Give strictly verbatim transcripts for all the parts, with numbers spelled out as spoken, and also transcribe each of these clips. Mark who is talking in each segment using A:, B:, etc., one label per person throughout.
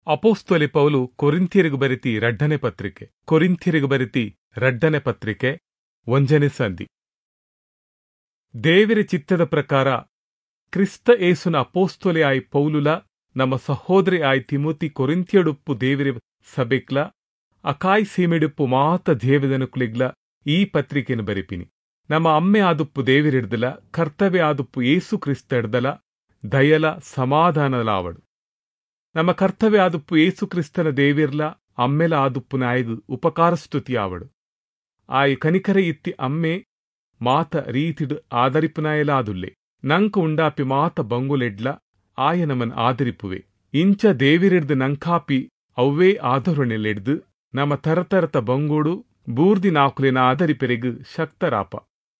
A: ಅಪೊಸ್ತಲೆ ಪೌಲು ಕೊರಿಂಥ್ಯರಿಗೆ ಬರೆತಿ ರಡ್ಡನೆ ಪತ್ರಿಕೆ. ಕೊರಿಂಥ್ಯರಿಗೆ ಬರೆತಿ ರಡ್ಡನೆ ಪತ್ರಿಕೆ ಒಂಜನೆ ಸಂಧಿ. ದೇವರ ಚಿತ್ತದ ಪ್ರಕಾರ ಕ್ರಿಸ್ತ ಏಸುನ ಅಪೊಸ್ತಲೆ ಆಯಿ ಪೌಲುಲ ನಮ್ಮ ಸಹೋದರಿ ಆಯಿ ತಿಮೋತಿ ಕೊರಿಂಥ್ಯಡುಪ್ಪು ದೇವರ ಸಭೆಕ್ಲ ಅಕಾಯ್ ಸೀಮೆಡುಪ್ಪು ಮಾತ ದೇವದನುಕುಲಿಗ್ಲ ಈ ಪತ್ರಿಕೆಯನ್ನು ಬರೆಪಿನಿ. ನಮ್ಮ ಅಮ್ಮೆ ಆದುಪ್ಪು ದೇವರಿಡ್ದಲ ಕರ್ತವ್ಯ ಆದುಪ್ಪು ಏಸು ಕ್ರಿಸ್ತ ಹಿಡ್ದಲ ದಯಲ ಸಮಾಧಾನಲಾವಡು. ನಮ್ಮ ಕರ್ತವ್ಯ ಆದುಪ್ಪು ಏಸು ಕ್ರಿಸ್ತನ ದೇವಿರ್ಲ ಅಮ್ಮೆಲ ಆದುಪ್ಪು ನಾಯಗು ಉಪಕಾರ ಸ್ತುತಿ ಆವಡು. ಆಯ್ ಕನಿಕರ ಇತ್ತಿ ಅಮ್ಮೆ ಮಾತ ರೀತಿಡು ಆದರಿಪುನಾಯಲಾದುಲ್ಲೆ ನಂಕ ಉಂಡಾಪಿ ಮಾತ ಬಂಗುಲೆಡ್ಲ ಆಯ ನಮನ್ ಆದರಿಪುವೆ. ಇಂಚ ದೇವಿರಿಡ್ದು ನಂಕಾಪಿ ಅವ್ವೇ ಆಧರಣೆಲೆಡ್ದು ನಮ್ಮ ತರತರತ ಬಂಗೋಡು ಬೂರ್ದಿ ನಾಕುಲೆನ ಆದರಿಪೆರೆಗು ಶಕ್ತರಾಪ.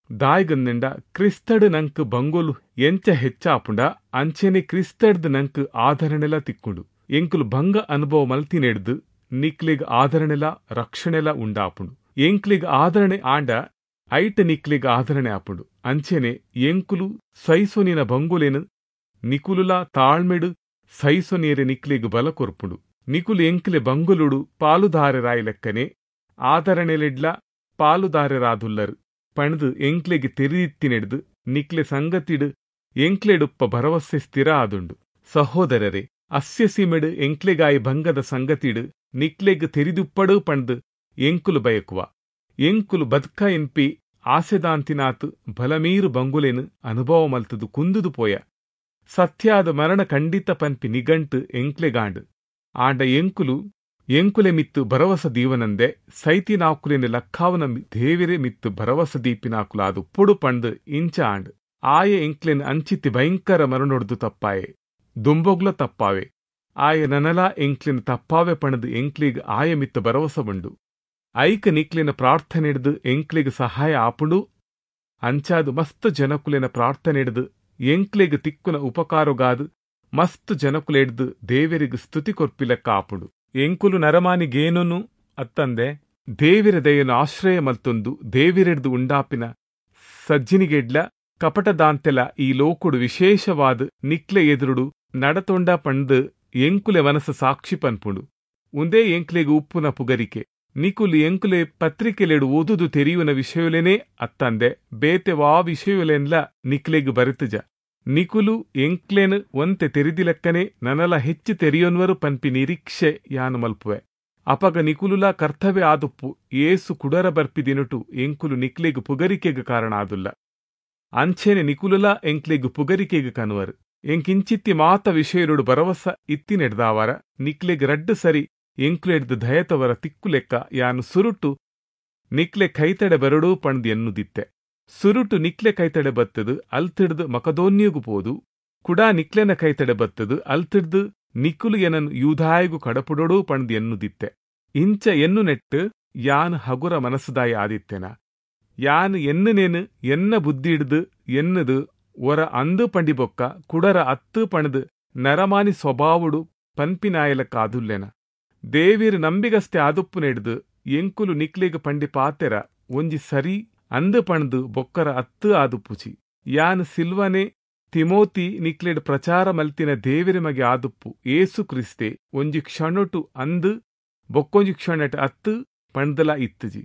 A: ದಾಯ್ಗಂದಿಂಡ ಕ್ರಿಸ್ತಡು ನಂಕ್ ಬಂಗೋಲು ಎಂಚ ಹೆಚ್ಚಾಪುಂಡ ಅಂಚೆನೆ ಕ್ರಿಸ್ತಡ್ದು ನಂಕ್ ಆಧರಣೆಲ ತಿಕ್కుంಡು. ಎಂಕುಲು ಭಂಗ ಅನುಭವ ಮಲ್ತಿನೆಡ್ದು ನಿಕ್ಲಿಗ್ ಆಧರಣೆಲ ರಕ್ಷಣೆಲ ಉಂಡಾಪುಂಡು. ಎಂಕ್ಲಿಗ್ ಆಧರಣೆ ಆಂಡ ಐಟ್ ನಿಕ್ಲಿಗ್ ಆಧರಣೆ ಆಪುಂಡು. ಅಂಚೆನೆ ಎಂಕುಲು ಸೈಸೊನಿನ ಬಂಗುಲೆನು ನಿಕುಲುಲ ತಾಳ್ಮೆಡು ಸೈಸೊನೀರೆ ನಿಕ್ಲಿಗ್ ಬಲ ಕೊರ್ಪುಂಡು. ನಿಕುಲು ಎಂಕ್ಲೆ ಬಂಗುಲುಡು ಪಾಲುದಾರರಾಯಿ ಲೆಕ್ಕನೆ ಆಧರಣೆಲೆಡ್ಲ ಪಾಲುದಾರರಾದುಲ್ಲರು ಪಣದು ಎಂಕ್ಲೆಗ್ ತೆರಿದಿತ್ತಿನೆಡ್ದು ನಿಕ್ಲೆ ಸಂಗತಿಡು ಎಂಕ್ಲೆಡುಪ್ಪ ಭರವಸೆ ಸ್ಥಿರ ಆದುಂಡು. ಸಹೋದರರೇ, ಅಸ್ಯ ಸೀಮೆಡು ಎಂಕ್ಲೆಗಾಯಿ ಭಂಗದ ಸಂಗತಿಡು ನಿಕ್ಲೆಗ್ ತೆರಿದುಪ್ಪಡು ಪಣದು ಎಂಕುಲು ಬಯಕುವ. ಎಂಕುಲು ಬದ್ಕ ಎನ್ಪಿ ಆಸೆದಾಂತಿನಾತ್ ಬಲಮೀರು ಬಂಗುಲೆನು ಅನುಭವ ಮಲ್ತದು ಕುಂದುದು ಪೋಯ. ಸತ್ಯಾದ ಮರಣ ಖಂಡಿತ ಪನ್ಪಿ ನಿಗಂಟು ಎಂಕ್ಲೆಗಾಂಡು. ಆಂಡ ಎಂಕುಲು ಎಂಕುಲೆ ಮಿತ್ತು ಭರವಸ ದೀವನಂದೆ ಸೈತಿನಾಕುಲೆನ ಲಕ್ಕಾವನ ದೇವಿರೆ ಮಿತ್ತು ಭರವಸ ದೀಪಿನಾಕುಲಾದು ಪುಡು ಪಂಡು ಇಂಚ ಆಂಡ್. ಆಯ ಎಂಕ್ಲೆನ್ ಅಂಚಿತಿ ಭಯಂಕರ ಮರಣೊಡ್ದು ತಪ್ಪಾಯೆ, ದುಂಬೊಗ್ಲ ತಪ್ಪಾವೆ. ಆಯ ನನಲಾ ಎಂಕ್ಲೆನ್ ತಪ್ಪಾವೆ ಪಣದು ಎಂಕ್ಲಿಗ್ ಆಯ ಮಿತ್ತು ಭರವಸ ಉಂಡು. ಐಕ ನಿಕ್ಲೆನ ಪ್ರಾರ್ಥನೆಡ್ದು ಎಂಕ್ಲೆಗ್ ಸಹಾಯ ಆಪುಂಡು. ಅಂಚಾದು ಮಸ್ತ್ ಜನಕುಲೆನ ಪ್ರಾರ್ಥನೆಡ್ದು ಎಂಕ್ಲೆಗ್ ತಿಕ್ಕುನ ಉಪಕಾರಗಾದು ಮಸ್ತ್ ಜನಕುಲೆಡ್ದು ದೇವರಿಗ್ ಸ್ತುತಿ ಕೊರ್ಪಿಲೆಕ್ಕ ಆಪುಂಡು. ಎಂಕುಲು ನರಮಾನಿಗೇನೂ ಅತ್ತಂದೆ ದೇವಿರ ದಯನು ಆಶ್ರಯ ಮಲ್ತೊಂದು ದೇವಿರೆಡ್ದು ಉಂಡಾಪಿನ ಸಜ್ಜಿನಿಗೆಡ್ಲ ಕಪಟದಾಂತೆಲ ಈ ಲೋಕುಡು ವಿಶೇಷವಾದ ನಿಕ್ಲೆ ಎದುರುಡು ನಡತೊಂಡ ಪಂಡು ಎಂಕುಲೆ ಮನಸ್ಸು ಸಾಕ್ಷಿ ಪನ್ಪುಂಡು. ಉಂದೇ ಎಂಕ್ಲೆಗ್ ಉಪ್ಪುನ ಪುಗರಿಕೆ. ನಿಕುಲು ಎಂಕುಲೆ ಪತ್ರಿಕೆಲೆಡು ಓದುದು ತೆರಿಯುನ ವಿಷಯಲೆನೇ ಅತ್ತಂದೆ ಬೇತೆ ವಾ ವಿಷಯಲೆನ್ಲ ನಿಕ್ಲೆಗ್ ಬರೆತುಜ. ನಿಕುಲು ಎಂಕ್ಲೆನ್ ಒಂತೆ ತೆರಿದಿಲೆಕ್ಕನೆ ನನಲ ಹೆಚ್ಚು ತೆರಿಯೊನ್ವರು ಪನ್ಪಿ ನಿರೀಕ್ಷೆ ಯಾನು ಮಲ್ಪುವೆ. ಅಪಗ ನಿಕುಲುಲ ಕರ್ತವ್ಯ ಆದುಪ್ಪು ಏಸು ಕುಡರ ಬರ್ಪಿ ದಿನಟು ಎಂಕುಲು ನಿಕ್ಲೆಗ್ ಪುಗರಿಕೆಗ್ ಕಾರಣ ಆದುಲ್ಲ. ಅಂಚೆನೆ ನಿಕುಲುಲ ಎಂಕ್ಲೆಗ್ ಪುಗರಿಕೆಗ್ ಕನುವರು. ಎಂಕಿಂಚಿತ್ತಿ ಮಾತ ವಿಷಯರುಡು ಭರವಸ ಇತ್ತಿನೆಡ್ದಾವರ ನಿಕ್ಲೆಗ್ ರಡ್ಡು ಸರಿ ಎಂಕ್ಲೆಡ್ದು ದಯತವರ ತಿಕ್ಕುಲೆಕ್ಕ ಯಾನು ಸುರುಟು ನಿಕ್ಲೆ ಕೈತಡೆ ಬರಡು ಪಂದ್ ಎನ್ನುದಿತ್ತೆ. ಸುರುಟು ನಿಕ್ಲೆ ಕೈತಡೆ ಬತ್ತದು ಅಲ್ತಿಡ್ದು ಮಕದೋನ್ಯಗು ಪೋದು ಕುಡಾ ನಿಕ್ಲೆನ ಕೈತಡೆ ಬತ್ತದು ಅಲ್ತಿಡ್ದು ನಿಕುಲು ಎನನ್ ಯೂಧಾಯಗು ಕಡಪುಡೋಡು ಪಂದ್ ಎನ್ನುದಿತ್ತೆ. ಇಂಚ ಎನ್ನು ನೆಟ್ಟು ಯಾನ್ ಹಗುರ ಮನಸ್ಸುದಾಯ ಆದಿತ್ತೆನ. ಯಾನ್ ಎನ್ನುನೇನು ಎನ್ನ ಬುದ್ಧಿಡ್ದು ಎನ್ನುದು ಒರ ಅಂದು ಪಂಡಿಬೊಕ್ಕ ಕುಡರ ಅತ್ತು ಪಣದು ನರಮಾನಿ ಸ್ವಭಾವುಡು ಪನ್ಪಿನಾಯಲಕ್ಕಾದುಲ್ಲೆನ. ದೇವಿರು ನಂಬಿಗಸ್ತೆ ಆದುಪ್ಪು ನೆಡ್ದು ಎಂಕುಲು ನಿಕ್ಲೆಗ್ ಪಂಡಿ ಪಾತೆರ ಒಂಜಿ ಸರಿ ಅಂದು ಪಣದು ಬೊಕ್ಕರ ಅತ್ತು ಆದುಪ್ಪುಚಿ. ಯಾನ್ ಸಿಲ್ವನೆ ತಿಮೋತಿ ನಿಕ್ಲೆಡ್ ಪ್ರಚಾರ ಮಲ್ತಿನ ದೇವಿರ ಮಗೆ ಆದುಪ್ಪು ಏಸು ಕ್ರಿಸ್ತೆ ಒಂಜಿ ಕ್ಷಣಟು ಅಂದು ಬೊಕ್ಕೊಂಜಿ ಕ್ಷಣಟ್ ಅತ್ತು ಪಂಡ್ದಲ ಇತ್ತುಜಿ.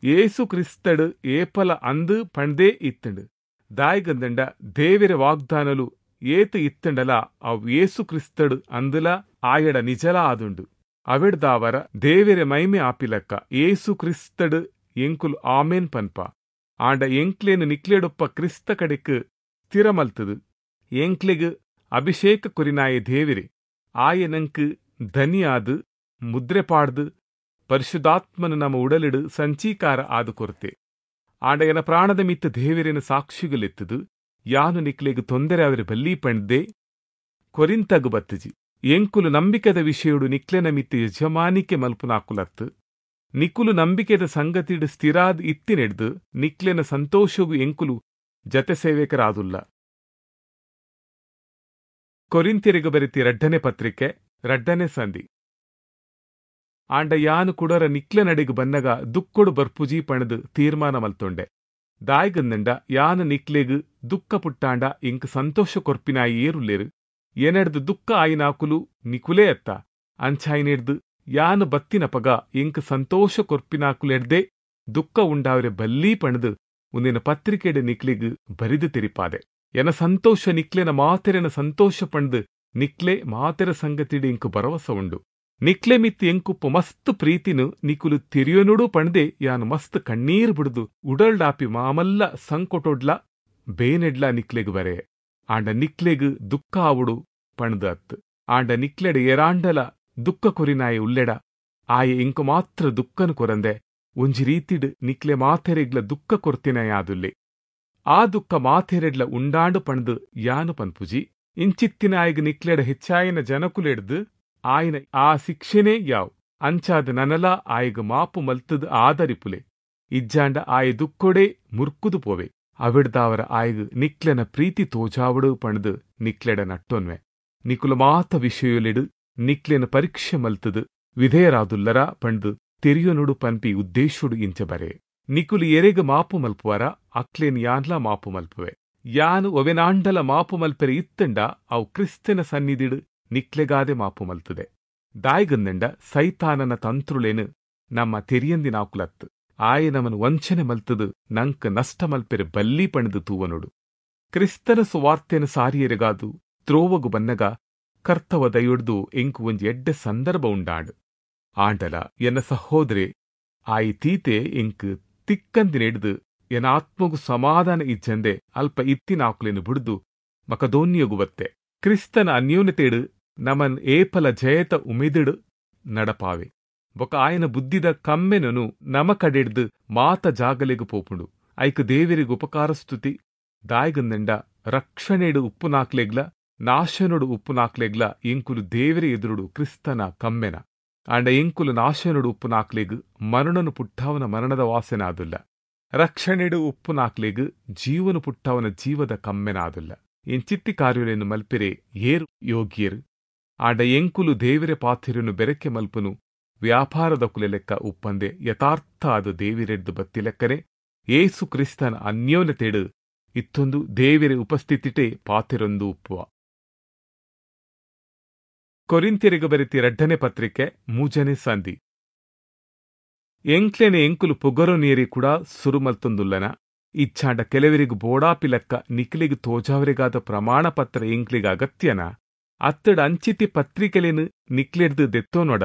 A: ಏಸು ಕ್ರಿಸ್ತಡು ಏಪಲ ಅಂದು ಪಂಡ್ದೇ ಇತ್ತಂಡು. ದಾಯ್ಗಂದಂಡ ದೇವಿರ ವಾಗ್ದಾನಲು ಏತು ಇತ್ತಂಡಲ ಅವ್ ಏಸು ಕ್ರಿಸ್ತಡು ಅಂದುಲ ಆಯಡ ನಿಜಲ ಆದುಂಡು. ಅವೆಡ್ದಾವರ ದೇವಿರ ಮೈಮೆ ಆಪಿಲಕ್ಕ ಏಸು ಕ್ರಿಸ್ತಡು ಎಂಕುಲು ಆಮೇನ್ ಪನ್ಪ. ಆಂಡ ಎಂಕ್ಲೇನು ನಿಕ್ಲೆಡೊಪ್ಪ ಕ್ರಿಸ್ತ ಕಡೆಕ್ ಸ್ಥಿರಮಲ್ತದು ಎಂಕ್ಲೆಗ್ ಅಭಿಷೇಕ ಕೊರಿನಾಯ ದೇವಿರೆ ಆಯ ನಂಕ್ ಧನಿಯಾದು ಮುದ್ರೆ ಪಾಡ್ದು ಪರಿಶುದ್ಧಾತ್ಮನು ನಮ್ಮ ಉಡಲಿಡು ಸಂಚೀಕಾರ ಆದು ಕೊರತೆ. ಆಂಡ ಎನ ಪ್ರಾಣದ ಮಿತ್ತ ದೇವಿರೇನ ಸಾಕ್ಷಿಗಲೆತ್ತದು ಯಾನು ನಿಕ್ಲೆಗ್ ತೊಂದರೆ ಅವರ ಬಲ್ಲಿ ಪಂಡ್ದೆ ಕೊರಿಂತಗು ಬತ್ತಜಿ. ಎಂಕುಲು ನಂಬಿಕೆದ ವಿಷಯಡು ನಿಕ್ಲೆನ ಮಿತ್ತ ಯಜಮಾನಿಕೆ ಮಲ್ಪುನಾಕುಲತ್ತು. ನಿಕುಲು ನಂಬಿಕೆದ ಸಂಗತಿಡು ಸ್ಥಿರಾದ್ ಇತ್ತಿನೆಡ್ದು ನಿಕ್ಲೆನ ಸಂತೋಷಗು ಎಂಕುಲು ಜತೆ ಸೇವಕರಾದುಲ್ಲ. ಕೊರಿಂಥ್ಯರಿಗೆ ಬರೆತಿ ರಡ್ಡನೆ ಪತ್ರಿಕೆ ರಡ್ಡನೆ ಸಂಧಿ. ಆಂಡ ಯಾನು ಕುಡರ ನಿಕ್ಲೆ ನಡೆಗು ಬನ್ನಗ ದುಕ್ಕೊಡು ಬರ್ಪುಜಿ ಪಣದು ತೀರ್ಮಾನ ಮಲ್ತೊಂಡೆ. ದಾಯ್ಗಂದಂಡ ಯಾನು ನಿಕ್ಲೆಗ್ ದುಕ್ಕ ಪುಟ್ಟಾಂಡ ಇಂಕ್ ಸಂತೋಷ ಕೊರ್ಪಿನಾಯಿ ಏರುಲ್ಲೇರು. ಎನಡ್ದು ದುಕ್ಕ ಆಯಿನಾಕುಲು ನಿಕುಲೇ ಅತ್ತ. ಅಂಚಾಯಿನೆಡ್ದ್ ಯಾನ್ ಬತ್ತಿನಪಗ ಎಂಕ್ ಸಂತೋಷ ಕೊರ್ಪಿನಾಕುಲೆಡ್ದೇ ದುಃಖ ಉಂಡಾವರೆ ಬಲ್ಲಿ ಪಂಡ್ದ್ ಉಂದೆನ ಪತ್ರಿಕೆಡ್ ನಿಕ್ಲೆಗ್ ಬರಿದು ತೆರಿಪಾದೆ. ಎನ ಸಂತೋಷ ನಿಕ್ಲೆನ ಮಾತೆರೆನ ಸಂತೋಷ ಪಂಡ್ದ್ ನಿಕ್ಲೆ ಮಾತೆರ ಸಂಗತಿಡ್ ಎಂಕ್ ಭರವಸ ಉಂಡು. ನಿಕ್ಲೆ ಮಿತ್ತ್ ಎಂಕುಪ್ಪು ಮಸ್ತ್ ಪ್ರೀತಿನು ನಿಕುಲು ತೆರಿಯೊನುಡು ಪಂಡ್ದೇ ಯಾನ್ ಮಸ್ತ್ ಕಣ್ಣೀರ್ ಬಿಡ್ದು ಉಡಲ್ಡಾಪಿ ಮಾಮಲ್ಲ ಸಂಕೊಟೊಡ್ಲ ಬೇನೆಡ್ಲ ನಿಕ್ಲೆಗ್ ಬರೆ. ಆಂಡ ನಿಕ್ಲೆಗ್ ದುಃಖ ಆವೊಡು ಪಂಡ್ದ್ ಅತ್. ಆಂಡ ನಿಕ್ಲೆಡ ಏರಾಂಡಲ ದುಃಖ ಕೊರಿನಾಯೆ ಉಲ್ಲೆಡ ಆಯೆ ಎಂಕು ಮಾತ್ರ ದುಃಖನು ಕೊರಂದೆ ಒಂಜಿ ರೀತಿಡ್ ನಿಕ್ಲೆ ಮಾತೆರೆಗ್ಲ ದುಃಖ ಕೊರ್ತಿನಾಯಾದುಲ್ಲೆ. ಆ ದುಃಖ ಮಾತೆರೆಡ್ಲ ಉಂಡಾಂಡು ಪಂಡ್ದ್ ಯಾನು ಪನ್ಪುಜಿ. ಇಂಚಿತ್ತಿನಾಯಗ್ ನಿಕ್ಲೆಡ ಹೆಚ್ಚಾಯಿನ ಜನಕುಲೆಡ್ದ್ ಆಯನ ಆ ಶಿಕ್ಷೆನೇ ಯಾವ್. ಅಂಚಾದ ನನಲ ಆಯಗ್ ಮಾಪು ಮಲ್ತದ್ ಆದರಿಪುಲೆ. ಇಜ್ಜಾಂಡ ಆಯ ದುಃಖೊಡೆ ಮುರ್ಕುದು ಪೋವೆ. ಅವಿಡ್ದಾವರ ಆಯಗ್ ನಿಕ್ಲೆನ ಪ್ರೀತಿ ತೋಜಾವಡು ಪಂಡ್ದ್ ನಿಕ್ಲೆಡ ನಟ್ಟೊನ್ವೆ. ನಿಕುಲು ಮಾತ ವಿಷಯೊಲೆಡ್ ನಿಕ್ಲೆನ ಪರೀಕ್ಷೆ ಮಲ್ತದ್ ವಿಧೇಯರಾದುಲ್ಲರ ಪಂಡ್ದ್ ತೆರಿಯೊನುಡು ಪನ್ಪಿ ಉದ್ದೇಶೊಡು ಇಂಚ ಬರೆ. ನಿಕುಲು ಎರೆಗ್ ಮಾಪು ಮಲ್ಪುವರ ಅಕ್ಲೆನ್ ಯಾನ್ಲಾ ಮಾಪು ಮಲ್ಪುವೆ. ಯಾನ್ ಒವೆನಾಂಡಲ ಮಾಪು ಮಲ್ಪೆರೆ ಇತ್ತಂಡ ಅವು ಕ್ರಿಸ್ತನ ಸನ್ನಿಧಿಡ್ ನಿಕ್ಲೆಗಾದೆ ಮಾಪು ಮಲ್ತದೆ. ದಾಯ್ಗಂದಂಡ ಸೈತಾನನ ತಂತ್ರುಲೇನು ನಮ್ಮ ತೆರಿಯಂದಿನಾಕುಲತ್ತು. ಆಯೆ ನಮನ್ ವಂಚನೆ ಮಲ್ತದು ನಂಕ್ ನಷ್ಟ ಮಲ್ಪೆರೆ ಬಲ್ಲಿ ಪಂಡ್ದ್ ತೂವನೊಡು. ಕ್ರಿಸ್ತನ ಸುವಾರ್ತೆನ ಸಾರಿಯೆರೆಗಾದು ತ್ರೋವಗು ಬನ್ನಗ ಕರ್ತವ ದಯೊಡ್ದು ಎಂಕು ಒಂಜಿ ಎಡ್ಡೆ ಸಂದರ್ಭ ಉಂಡಾಂಡ್. ಆಂಡಲ ಎನ್ನ ಸಹೋದರೆ ಆಯಿ ತೀತೆ ಎಂಕ್ ತಿಕ್ಕಂದಿನೆಡ್ದು ಎನ್ನ ಆತ್ಮಗು ಸಮಾಧಾನ ಇಜ್ಜಂದೆ ಅಲ್ಪ ಇತ್ತಿನಾಕುಲೆನು ಬುಡ್ದು ಮಕದೋನ್ಯಗು ಬತ್ತೆ. ಕ್ರಿಸ್ತನ ಅನ್ಯೋನ್ಯತೆಡು ನಮನ್ ಏಪಲ ಜಯತ ಉಮೆದಿಡು ನಡಪಾವೆ. ಬೊಕ ಆಯನ ಬುದ್ಧಿದ ಕಮ್ಮೆನನು ನಮ ಕಡೆಡ್ದು ಮಾತ ಜಾಗಲೆಗು ಪೋಪುಂಡು. ಐಕ್ ದೇವೆರಿಗೆ ಉಪಕಾರ ಸ್ತುತಿ. ದಾಯ್ಗಂದಂಡ ರಕ್ಷಣೆಡು ಉಪ್ಪುನಾಕ್ಲೆಗ್ಲ ನಾಶನೊಡು ಉಪ್ಪುನಾಕ್ಲೆಗ್ಲ ಎಂಕುಲು ದೇವರ ಎದುರುಡು ಕ್ರಿಸ್ತನ ಕಮ್ಮೆನ. ಆಂಡ ಎಂಕುಲು ನಾಶನೊಡು ಉಪ್ಪುನಾಕ್ಲೆಗ್ ಮರಣನು ಪುಟ್ಟಾವನ ಮರಣದ ವಾಸನಾದುಲ್ಲ. ರಕ್ಷಣೆಡು ಉಪ್ಪುನಾಕ್ಲೆಗ್ ಜೀವನು ಪುಟ್ಟಾವನ ಜೀವದ ಕಮ್ಮೆನಾದುಲ್ಲ. ಎಂಚಿತ್ತಿ ಕಾರ್ಯಲೆನು ಮಲ್ಪೆರೆ ಏರು ಯೋಗ್ಯರು. ಆಂಡ ಎಂಕುಲು ದೇವರ ಪಾಥಿರನು ಬೆರಕೆ ಮಲ್ಪುನು ವ್ಯಾಪಾರದ ಕುಲೆ ಲೆಕ್ಕ ಉಪ್ಪಂದೆ ಯಥಾರ್ಥ ಆದ ದೇವಿರೆಡ್ದು ಬತ್ತಿ ಲೆಕ್ಕನೆ ಏಸು ಕ್ರಿಸ್ತನ ಅನ್ಯೋನ್ಯತೆಡು ಇತ್ತೊಂದು ದೇವಿರೆ ಉಪಸ್ಥಿತಿಟೇ ಪಾತಿರೊಂದು ಉಪ್ಪುವ. ಕೊರಿಂಥ್ಯರಿಗೆ ಬರೆತಿ ರಡ್ಡನೆ ಪತ್ರಿಕೆ ಮೂಜನೆ ಸಂಧಿ. ಎಂಕ್ಲೆನೆ ಎಂಕುಲು ಪೊಗರು ನೀರಿ ಕೂಡ ಸುರುಮಲ್ತೊಂದುಲ್ಲನ. ಇಚ್ಛಾಂಡ ಕೆಲವರಿಗೂ ಬೋಡಾಪಿ ಲೆಕ್ಕ ನಿಕ್ಲಿಗ್ ತೋಜಾವರಿಗಾದ ಪ್ರಮಾಣ ಪತ್ರ ಎಂಕ್ಲಿಗ ಅಗತ್ಯನ. ಅತ್ತಡ ಅಂಚಿತಿ ಪತ್ರಿಕೆಲೇನು ನಿಕ್ಲೆಡ್ದು ದೆತ್ತೋನೊಡ.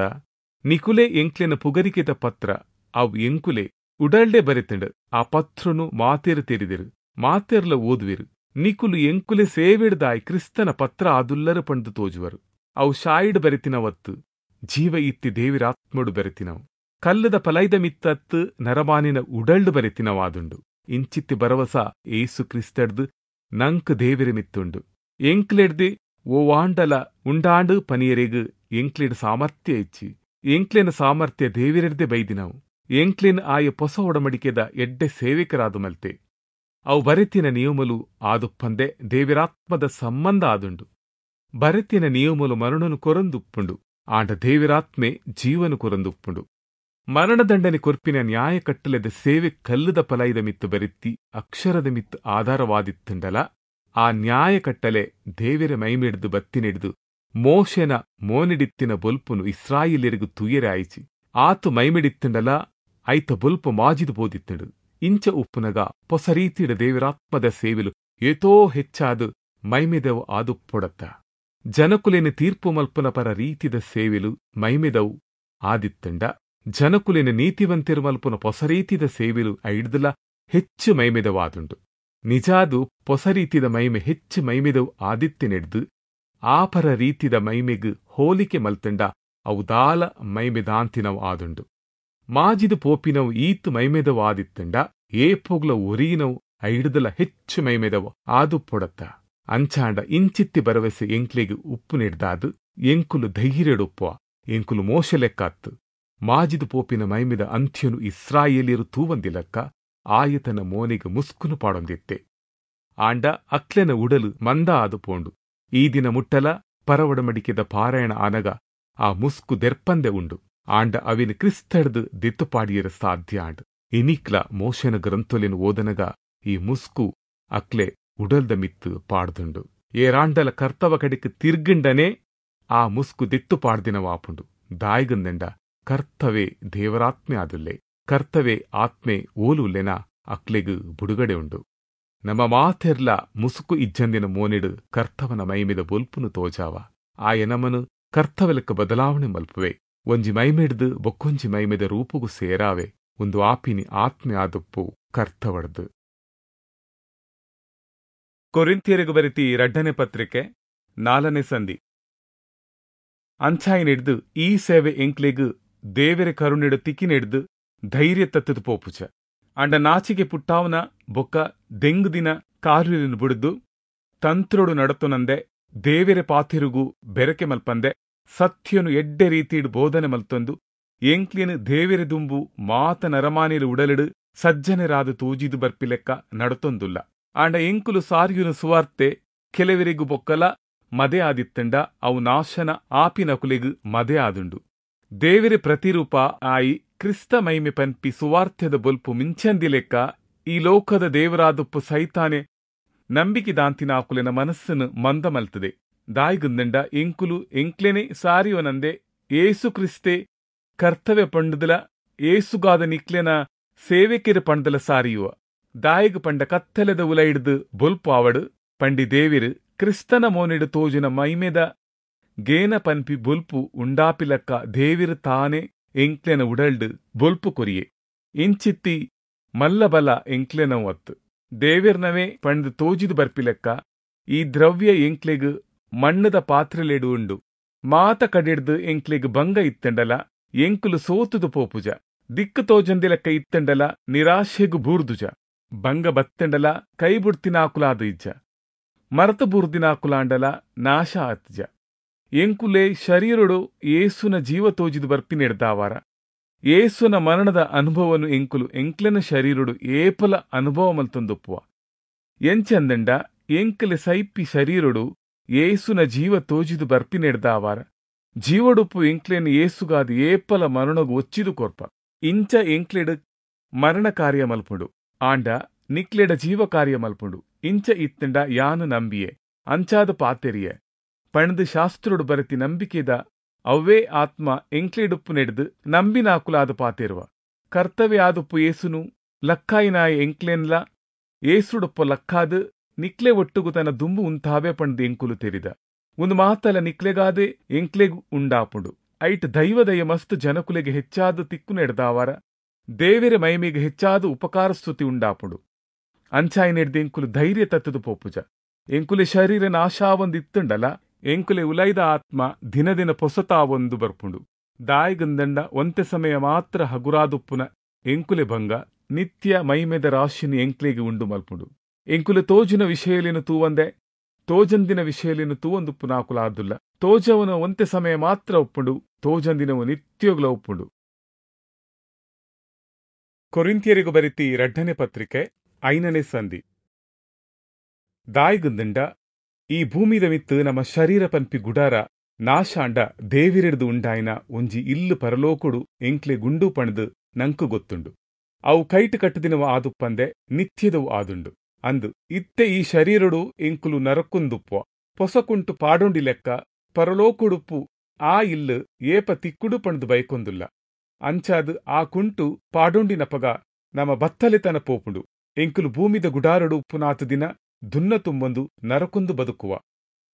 A: ನಿಕುಲೆ ಎಂಕ್ಲೆನ ಪುಗರಿಕೆದ ಪತ್ರ ಅವು ಎಂಕುಲೆ ಉಡಲ್ಡೆ ಬರೆತಂಡು. ಆ ಪತ್ರನು ಮಾತೇರು ತೆರಿದಿರು, ಮಾತೇರ್ಲ ಓದುವಿರು. ನಿಕುಲು ಎಂಕುಲೆ ಸೇವೆಡ್ದಾಯ್ ಕ್ರಿಸ್ತನ ಪತ್ರ ಆದುಲ್ಲರು ಪಂಡು ತೋಜುವರು. ಅವು ಶಾಯಿಡ್ ಬರೆತಿನವತ್ತು ಜೀವ ಇತ್ತಿ ದೇವಿರಾತ್ಮಡು ಬರೆತಿನವು. ಕಲ್ಲದ ಪಲೈದ ಮಿತ್ತತ್ತು ನರಮಾನಿನ ಉಡಲ್ಡು ಬರೆತಿನವಾದುಂಡು. ಇಂಚಿತ್ತಿ ಭರವಸ ಏಸು ಕ್ರಿಸ್ತಡ್ದು ನಂಕ್ ದೇವಿರ ಮಿತ್ತುಂಡು. ಎಂಕ್ಲೆಡ್ದೆ ಓವಾಂಡಲ ಉಂಡಾಂಡು ಪನಿಯರೆಗ್ ಎಂಕ್ಲೆಡ್ ಸಾಮರ್ಥ್ಯ ಇಚ್ಚಿ. ಎಂಕ್ಲೆನ ಸಾಮರ್ಥ್ಯ ದೇವಿರೆಡ್ದೆ ಬೈದಿನವು. ಎಂಕ್ಲೆನ್ ಆಯ ಪೊಸ ಒಡಮಡಿಕೆದ ಎಡ್ಡೆ ಸೇವಕರಾದು ಮಲ್ತೆ. ಅವು ಬರೆತಿನ ನಿಯಮಲು ಆದುಪ್ಪಂದೆ ದೇವಿರಾತ್ಮದ ಸಂಬಂಧ ಆದುಂಡು. ಬರೆತಿನ ನಿಯಮಲು ಮರಣನು ಕೊರಂದುಪ್ಪುಂಡು, ಆಂಡ ದೇವಿರಾತ್ಮೆ ಜೀವನು ಕೊರಂದುಪ್ಪುಂಡು. ಮರಣದಂಡನೆ ಕೊರ್ಪಿನ ನ್ಯಾಯ ಕಟ್ಟಲೆದ ಸೇವೆ ಕಲ್ಲುದ ಪಲೈದ ಮಿತ್ತು ಬರೆತ್ತಿ ಅಕ್ಷರದ ಮಿತ್ತು ಆಧಾರವಾದಿತ್ತುಂಡಲ ಆ ನ್ಯಾಯ ಕಟ್ಟಲೆ ದೇವಿರ ಮೈಮಿಡ್ದು ಬತ್ತಿನಿಡ್ದು ಮೋಶೆನ ಮೋನಿಡಿತ್ತಿನ ಬೊಲ್ಪುನು ಇಸ್ರಾಯಿಲೆರಿಗು ತುಯರೆ ಆಯಿಚಿ. ಆತು ಮೈಮಿಡಿತ್ತುಂಡಲ ಐತ ಬೊಲ್ಪು ಮಾಜಿದು ಬೋದಿತ್ತುಂಡು. ಇಂಚ ಉಪ್ಪುನಗ ಪೊಸ ರೀತಿಡ ದೇವಿರಾತ್ಮದ ಸೇವೆಲು ಏತೋ ಹೆಚ್ಚಾದು ಮೈಮೆದವು ಆದುಪ್ಪೊಡತ್ತ. ಜನಕುಲೆನ ತೀರ್ಪು ಮಲ್ಪುನ ಪರ ರೀತಿದ ಸೇವೆಲು ಮೈಮೆದವು ಆದಿತ್ತಂಡ ಜನಕುಲೆನ ನೀತಿವಂತಿರು ಮಲ್ಪುನ ಪೊಸ ರೀತಿದ ಸೇವೆಲು ಐಡ್ದಲ ಹೆಚ್ಚು ಮೈಮೆದವಾದುಂಡು. ನಿಜಾದು ಪೊಸ ರೀತಿದ ಮೈಮೆ ಹೆಚ್ಚು ಮೈಮೆದವು ಆದಿತ್ತಿನೆಡ್ದು ಆ ಪರ ರೀತಿದ ಮೈಮೆಗ್ ಹೋಲಿಕೆ ಮಲ್ತಂಡ ಅವು ದಾಲ ಮೈಮೆದಾಂತಿನವು ಆದುಂಡು. ಮಾಜಿದು ಪೋಪಿನವು ಈತ್ ಮೈಮೆದವು ಆದಿತ್ತಂಡ ಏಪೋಗ್ಲ ಒರಿಯಿನವು ಐಡ್ದಲ ಹೆಚ್ಚು ಮೈಮೆದವು ಆದುಪ್ಪೊಡತ್ತ. ಅಂಚಾಂಡ ಇಂಚಿತ್ತಿ ಭರವಸೆ ಎಂಕ್ಲೆಗ್ ಉಪ್ಪು ನೆಡ್ದಾದು ಎಂಕುಲು ಧೈರ್ಯಡುಪ್ಪುವ. ಎಂಕುಲು ಮೋಶ ಲೆಕ್ಕಾತ್ತು. ಮಾಜಿದು ಪೋಪಿನ ಮೈಮೆದ ಅಂತ್ಯನು ಇಸ್ರಾಯೇಲಿಯರು ತೂವಂದಿಲಕ್ಕ ಆಯತನ ಮೋನೆಗ್ ಮುಸ್ಕುನು ಪಾಡೊಂದಿತ್ತೆ. ಆಂಡ ಅಕ್ಲೆನ ಉಡಲು ಮಂದ ಆದು ಪೋಂಡು. ಈ ದಿನ ಮುಟ್ಟಲ ಪರವಡಮಡಿಕೆದ ಪಾರಾಯಣ ಆನಗ ಆ ಮುಸ್ಕು ದೆರ್ಪಂದೆ ಉಂಡು. ಆಂಡ ಅವಿನ ಕ್ರಿಸ್ತಡ್ದು ದಿತ್ತುಪಾಡಿಯರ ಸಾಧ್ಯ ಆಂಡ್. ಇನಿಕ್ಲ ಮೋಶನ ಗ್ರಂಥೊಲೆನ್ ಓದನಗ ಈ ಮುಸ್ಕು ಅಕ್ಲೆ ಉಡಲ್ದ ಮಿತ್ತು ಪಾಡ್ದುಂಡು. ಏರಾಂಡಲ ಕರ್ತವ ಕಡೆಕ್ ತಿರ್ಗಂಡನೆ ಆ ಮುಸ್ಕು ದಿತ್ತು ಪಾಡ್ದಿನವಾಪುಂಡು. ದಾಯಿಗಂದೆಂಡ ಕರ್ತವೆ ದೇವರಾತ್ಮೆ ಆದುಲ್ಲೆ. ಕರ್ತವೆ ಆತ್ಮೆ ಓಲುಲ್ಲೆನ ಅಕ್ಲೆಗ್ ಬುಡುಗಡೆ ಉಂಡು. ನಮ್ಮ ಮಾತೆರ್ಲ ಮುಸುಕು ಇಜ್ಜಂದಿನ ಮೋನೆಡು ಕರ್ತವನ ಮೈಮೆದ ಬೊಲ್ಪುನು ತೋಜಾವ. ಆಯ ನಮನು ಕರ್ತವಲಕ್ಕ ಬದಲಾವಣೆ ಮಲ್ಪುವೆ. ಒಂಜಿ ಮೈಮೆಡ್ದು ಬೊಕ್ಕೊಂಜಿ ಮೈಮೆದ ರೂಪುಗು ಸೇರಾವೆ. ಒಂದು ಆಪಿನಿ ಆತ್ಮೆ ಆದುಪ್ಪು ಕರ್ತವಡ್ದು. ಕೊರಿಂಥಿಯರಿಗೆ ಬರಿತಿ ರಡ್ಡನೆ ಪತ್ರಿಕೆ ನಾಲ್ಕನೇ ಸಂಧಿ. ಅಂಚಾಯಿನೆಡ್ದು ಈ ಸೇವೆ ಎಂಕ್ಲೆಗ್ ದೇವೆರೆ ಕರುಣೆಡು ತಿಕ್ಕಿನೆಡ್ದು ಧೈರ್ಯ ತತ್ತದು ಪೋಪುಚ. ಅಂಡ ನಾಚಿಗೆ ಪುಟ್ಟಾವನ ಬೊಕ್ಕ ದೆಂಗುದಿನ ಕಾರ್ಯలను ಬುಡ್ದು ತಂತ್ರೊಡು ನಡತೊನಂದೆ ದೇವೆರೆ ಪಾತಿರುಗು ಬೆರಕೆ ಮಲ್ಪಂದೆ ಸತ್ಯನು ಎಡ್ಡೆ ರೀತಿಡ್ ಬೋಧನೆ ಮಲ್ತೊಂದು ಎಂಕ್ಲಿನ ದೇವೆರೆ ದುಂಬು ಮಾತ ನರಮಾನಿಲು ಉಡಲಿಡು ಸಜ್ಜನರಾದ ತೋಜಿದು ಬರ್ಪಿಲೆಕ್ಕ ನಡತೊಂದುಲ್ಲ. ಆಂಡ ಎಂಕುಲು ಸಾರಿಯುನ ಸುವಾರ್ತೆ ಕೆಲವರಿಗೂ ಬೊಕ್ಕಲ ಮದೆ ಆದಿತ್ತಂಡ ಅವು ನಾಶನ ಆಪಿನಕುಲೆಗ್ ಮದೆ ಆದುಂಡು. ದೇವೆರೆ ಪ್ರತಿರೂಪ ಆಯಿ ಕ್ರಿಸ್ತ ಮೈಮೆ ಪನ್ಪಿ ಸುವಾರ್ಥ್ಯದ ಬೊಲ್ಪು ಮಿಂಚಂದಿಲೆಕ್ಕ ಈ ಲೋಕದ ದೇವರಾದುಪ್ಪು ಸೈತಾನೆ ನಂಬಿಕೆ ದಾಂತಿನಾಕುಲೆನ ಮನಸ್ಸನ್ನು ಮಂದ ಮಲ್ತದೆ. ದಾಯಿಗುಂದಂಡ ಎಂಕುಲು ಎಂಕ್ಲೆನೆ ಸಾರಿಯೋನಂದೆ ಏಸು ಕ್ರಿಸ್ತೆ ಕರ್ತವ್ಯ ಪಂಡುದಲ ಏಸುಗಾದ ನಿಕ್ಲೆನ ಸೇವೆಕೆರು ಪಂಡಲ ಸಾರಿಯುವ. ದಾಯಿಗು ಪಂಡ ಕತ್ತಲೆದ ಉಲ ಹಿಡ್ದು ಬೊಲ್ಪು ಆವಡು ಪಂಡಿ ದೇವಿರು ಕ್ರಿಸ್ತನ ಮೋನಿಡು ತೋಜಿನ ಮೈಮೆದ ಗೇನ ಪನ್ಪಿ ಬೊಲ್ಪು ಉಂಡಾಪಿಲಕ್ಕ ದೇವಿರು ತಾನೆ ಎಂಕ್ಲೆನ ಉಡಲ್ಡು ಬೊಲ್ಪು ಕೊರಿಯೆ. ಇಂಚಿತ್ತಿ ಮಲ್ಲಬಲ ಎಂಕ್ಲೆನವು ಅತ್ತು ದೇವಿರ್ನವೇ ಪಂಡು ತೋಜಿದು ಬರ್ಪಿಲೆಕ್ಕ ಈ ದ್ರವ್ಯ ಎಂಕ್ಲೆಗ್ ಮಣ್ಣದ ಪಾತ್ರೆಲೆಡು ಉಂಡು. ಮಾತ ಕಡಿಡ್ದು ಎಂಕ್ಲೆಗ್ ಭಂಗ ಇತ್ತಂಡಲ ಎಂಕುಲು ಸೋತುದು ಪೋಪುಜ. ದಿಕ್ಕು ತೋಜಂದಿಲೆಕ್ಕ ಇತ್ತಂಡಲ ನಿರಾಶೆಗು ಬೂರ್ದುಜ. ಭಂಗ ಬತ್ತಂಡಲ ಕೈ ಬುಡ್ತಿನಾಕುಲಾದ ಇಜ್ಜ. ಮರತ ಬೂರ್ದಿನಾಕುಲಾಂಡಲ ನಾಶ ಆತ್ಜ. ಎಂಕುಲೆ ಶರೀರೊಡು ಏಸುನ ಜೀವ ತೋಜಿದು ಬರ್ಪಿನೆಡ್ದಾವಾರ ಏಸುನ ಮರಣದ ಅನುಭವನು ಎಂಕುಲು ಎಂಕ್ಲೆನ ಶರೀರೊಡು ಏಪಲ ಅನುಭವ ಮಲ್ತೊಂದುಪ್ಪುವ. ಎಂಚಂದಂಡ ಎಂಕಲೆ ಸೈಪಿ ಶರೀರೊಡು ಏಸುನ ಜೀವ ತೋಜಿದು ಬರ್ಪಿನೆಡ್ದಾವಾರ ಜೀವಡುಪ್ಪು ಎಂಕ್ಲೆನ ಏಸುಗಾದ ಏಪಲ ಮರಣಗು ಒಚ್ಚಿದು ಕೊರ್ಪ. ಇಂಚ ಎಂಕ್ಲೆಡು ಮರಣ ಕಾರ್ಯ ಮಲ್ಪುಂಡು, ಆಂಡ ನಿಕ್ಲೆಡ ಜೀವ ಕಾರ್ಯ ಮಲ್ಪುಂಡು. ಇಂಚ ಇತ್ತಂಡ ಯಾನು ನಂಬಿಯೆ ಅಂಚಾದ ಪಾತೆರಿಯೆ ಪಣದು ಶಾಸ್ತ್ರೊಡು ಬರತಿ ನಂಬಿಕೆದ ಅವ್ವೇ ಆತ್ಮ ಎಂಕ್ಲೆಡುಪ್ಪು ನೆಡ್ದು ನಂಬಿನಾಕುಲಾದ ಪಾತೆರುವ. ಕರ್ತವ್ಯ ಆದುಪ್ಪು ಏಸುನು ಲಕ್ಕಾಯಿನಾಯ ಎಂಕ್ಲೆನ್ಲ ಏಸುಡುಪ್ಪ ಲಕ್ಕಾದು ನಿಕ್ಲೆ ಒಟ್ಟುಗು ತನ್ನ ದುಂಬು ಉಂತಾವೆ ಪಂಡ್ದು ಎಂಕುಲು ತೆರಿದ. ಒಂದು ಮಾತಲ ನಿಕ್ಲೆಗಾದೆ ಎಂಕ್ಲೆಗು ಉಂಡಾಪುಂಡು. ಐಟ್ ದೈವದಯ ಮಸ್ತ್ ಜನಕುಲೆಗೆ ಹೆಚ್ಚಾದ ತಿಕ್ಕು ನೆಡ್ದಾವಾರ ದೇವೆರೆ ಮೈಮೆಗೆ ಹೆಚ್ಚಾದ ಉಪಕಾರ ಸ್ತುತಿ ಉಂಡಾಪುಂಡು. ಅಂಚಾಯಿ ನೆಡ್ದು ಎಂಕುಲು ಧೈರ್ಯ ತತ್ತದು ಪೋಪುಜ. ಎಂಕುಲೆ ಶರೀರ ನಾಶಾವೊಂದು ಇತ್ತುಂಡಲ ಎಂಕುಲೆ ಉಲೈದ ಆತ್ಮ ದಿನ ದಿನ ಪೊಸತಾವೊಂದು ಬರ್ಪುಂಡು. ದಾಯಿಗಂದಂಡ ಒಂತೆ ಸಮಯ ಮಾತ್ರ ಹಗುರಾದುಪ್ಪುನ ಎಂಕುಲೆ ಭಂಗ ನಿತ್ಯ ಮೈಮೆದ ರಾಶಿನಿ ಎಂಕ್ಲೆಗೆ ಉಂಡು ಮಲ್ಪುಂಡು. ಎಂಕುಲೆ ತೋಜಿನ ವಿಷಯಲೇನು ತೂವಂದೆ ತೋಜಂದಿನ ವಿಷಯಲೇನು ತೂವಂದುಪ್ಪುನಾಕುಲಾದುಲ್ಲ. ತೋಜವನ ಒಂತೆ ಸಮಯ ಮಾತ್ರ ಒಪ್ಪುಂಡು, ತೋಜಂದಿನವು ನಿತ್ಯೋಗ್ಲ ಒಪ್ಪುಂಡು. ಕೊರಿಂಥಿಯರಿಗೂ ಬರಿತಿ ರಡ್ಡನೆ ಪತ್ರಿಕೆ ಐನನೇ ಸಂಧಿ. ದಾಯಿಗುಂದಂಡ ಈ ಭೂಮಿದ ಮಿತ್ತು ನಮ್ಮ ಶರೀರ ಪನ್ಪಿ ಗುಡಾರ ನಾಶಾಂಡ ದೇವಿರಿಡ್ದು ಉಂಡಾಯಿನ ಒಂಜಿ ಇಲ್ಲು ಪರಲೋಕುಡು ಎಂಕ್ಲೆ ಗುಂಡು ಪಣದು ನಂಕು ಗೊತ್ತುಂಡು. ಅವು ಕೈಟು ಕಟ್ಟುದಿನವು ಆದುಪ್ಪಂದೆ ನಿತ್ಯದವು ಆದುಂಡು. ಅಂದು ಇತ್ತೆ ಈ ಶರೀರಡು ಎಂಕುಲು ನರಕುಂದುಪ್ಪುವ ಪೊಸಕುಂಟು ಪಾಡೊಂಡಿ ಲೆಕ್ಕ ಪರಲೋಕುಡುಪ್ಪು ಆ ಇಲ್ಲು ಏಪ ತಿಕ್ಕುಡು ಪಣದು ಬೈಕೊಂದುಲ್ಲ. ಅಂಚಾದು ಆ ಕುಂಟು ಪಾಡೊಂಡಿನಪಗ ನಮ್ಮ ಬತ್ತಲೆತನ ಪೋಪುಂಡು. ಎಂಕುಲು ಭೂಮಿದ ಗುಡಾರಡು ಉಪ್ಪುನಾತು ದಿನ ದುನ್ನ ತುಂಬೊಂದು ನರಕುಂದು ಬದುಕುವ.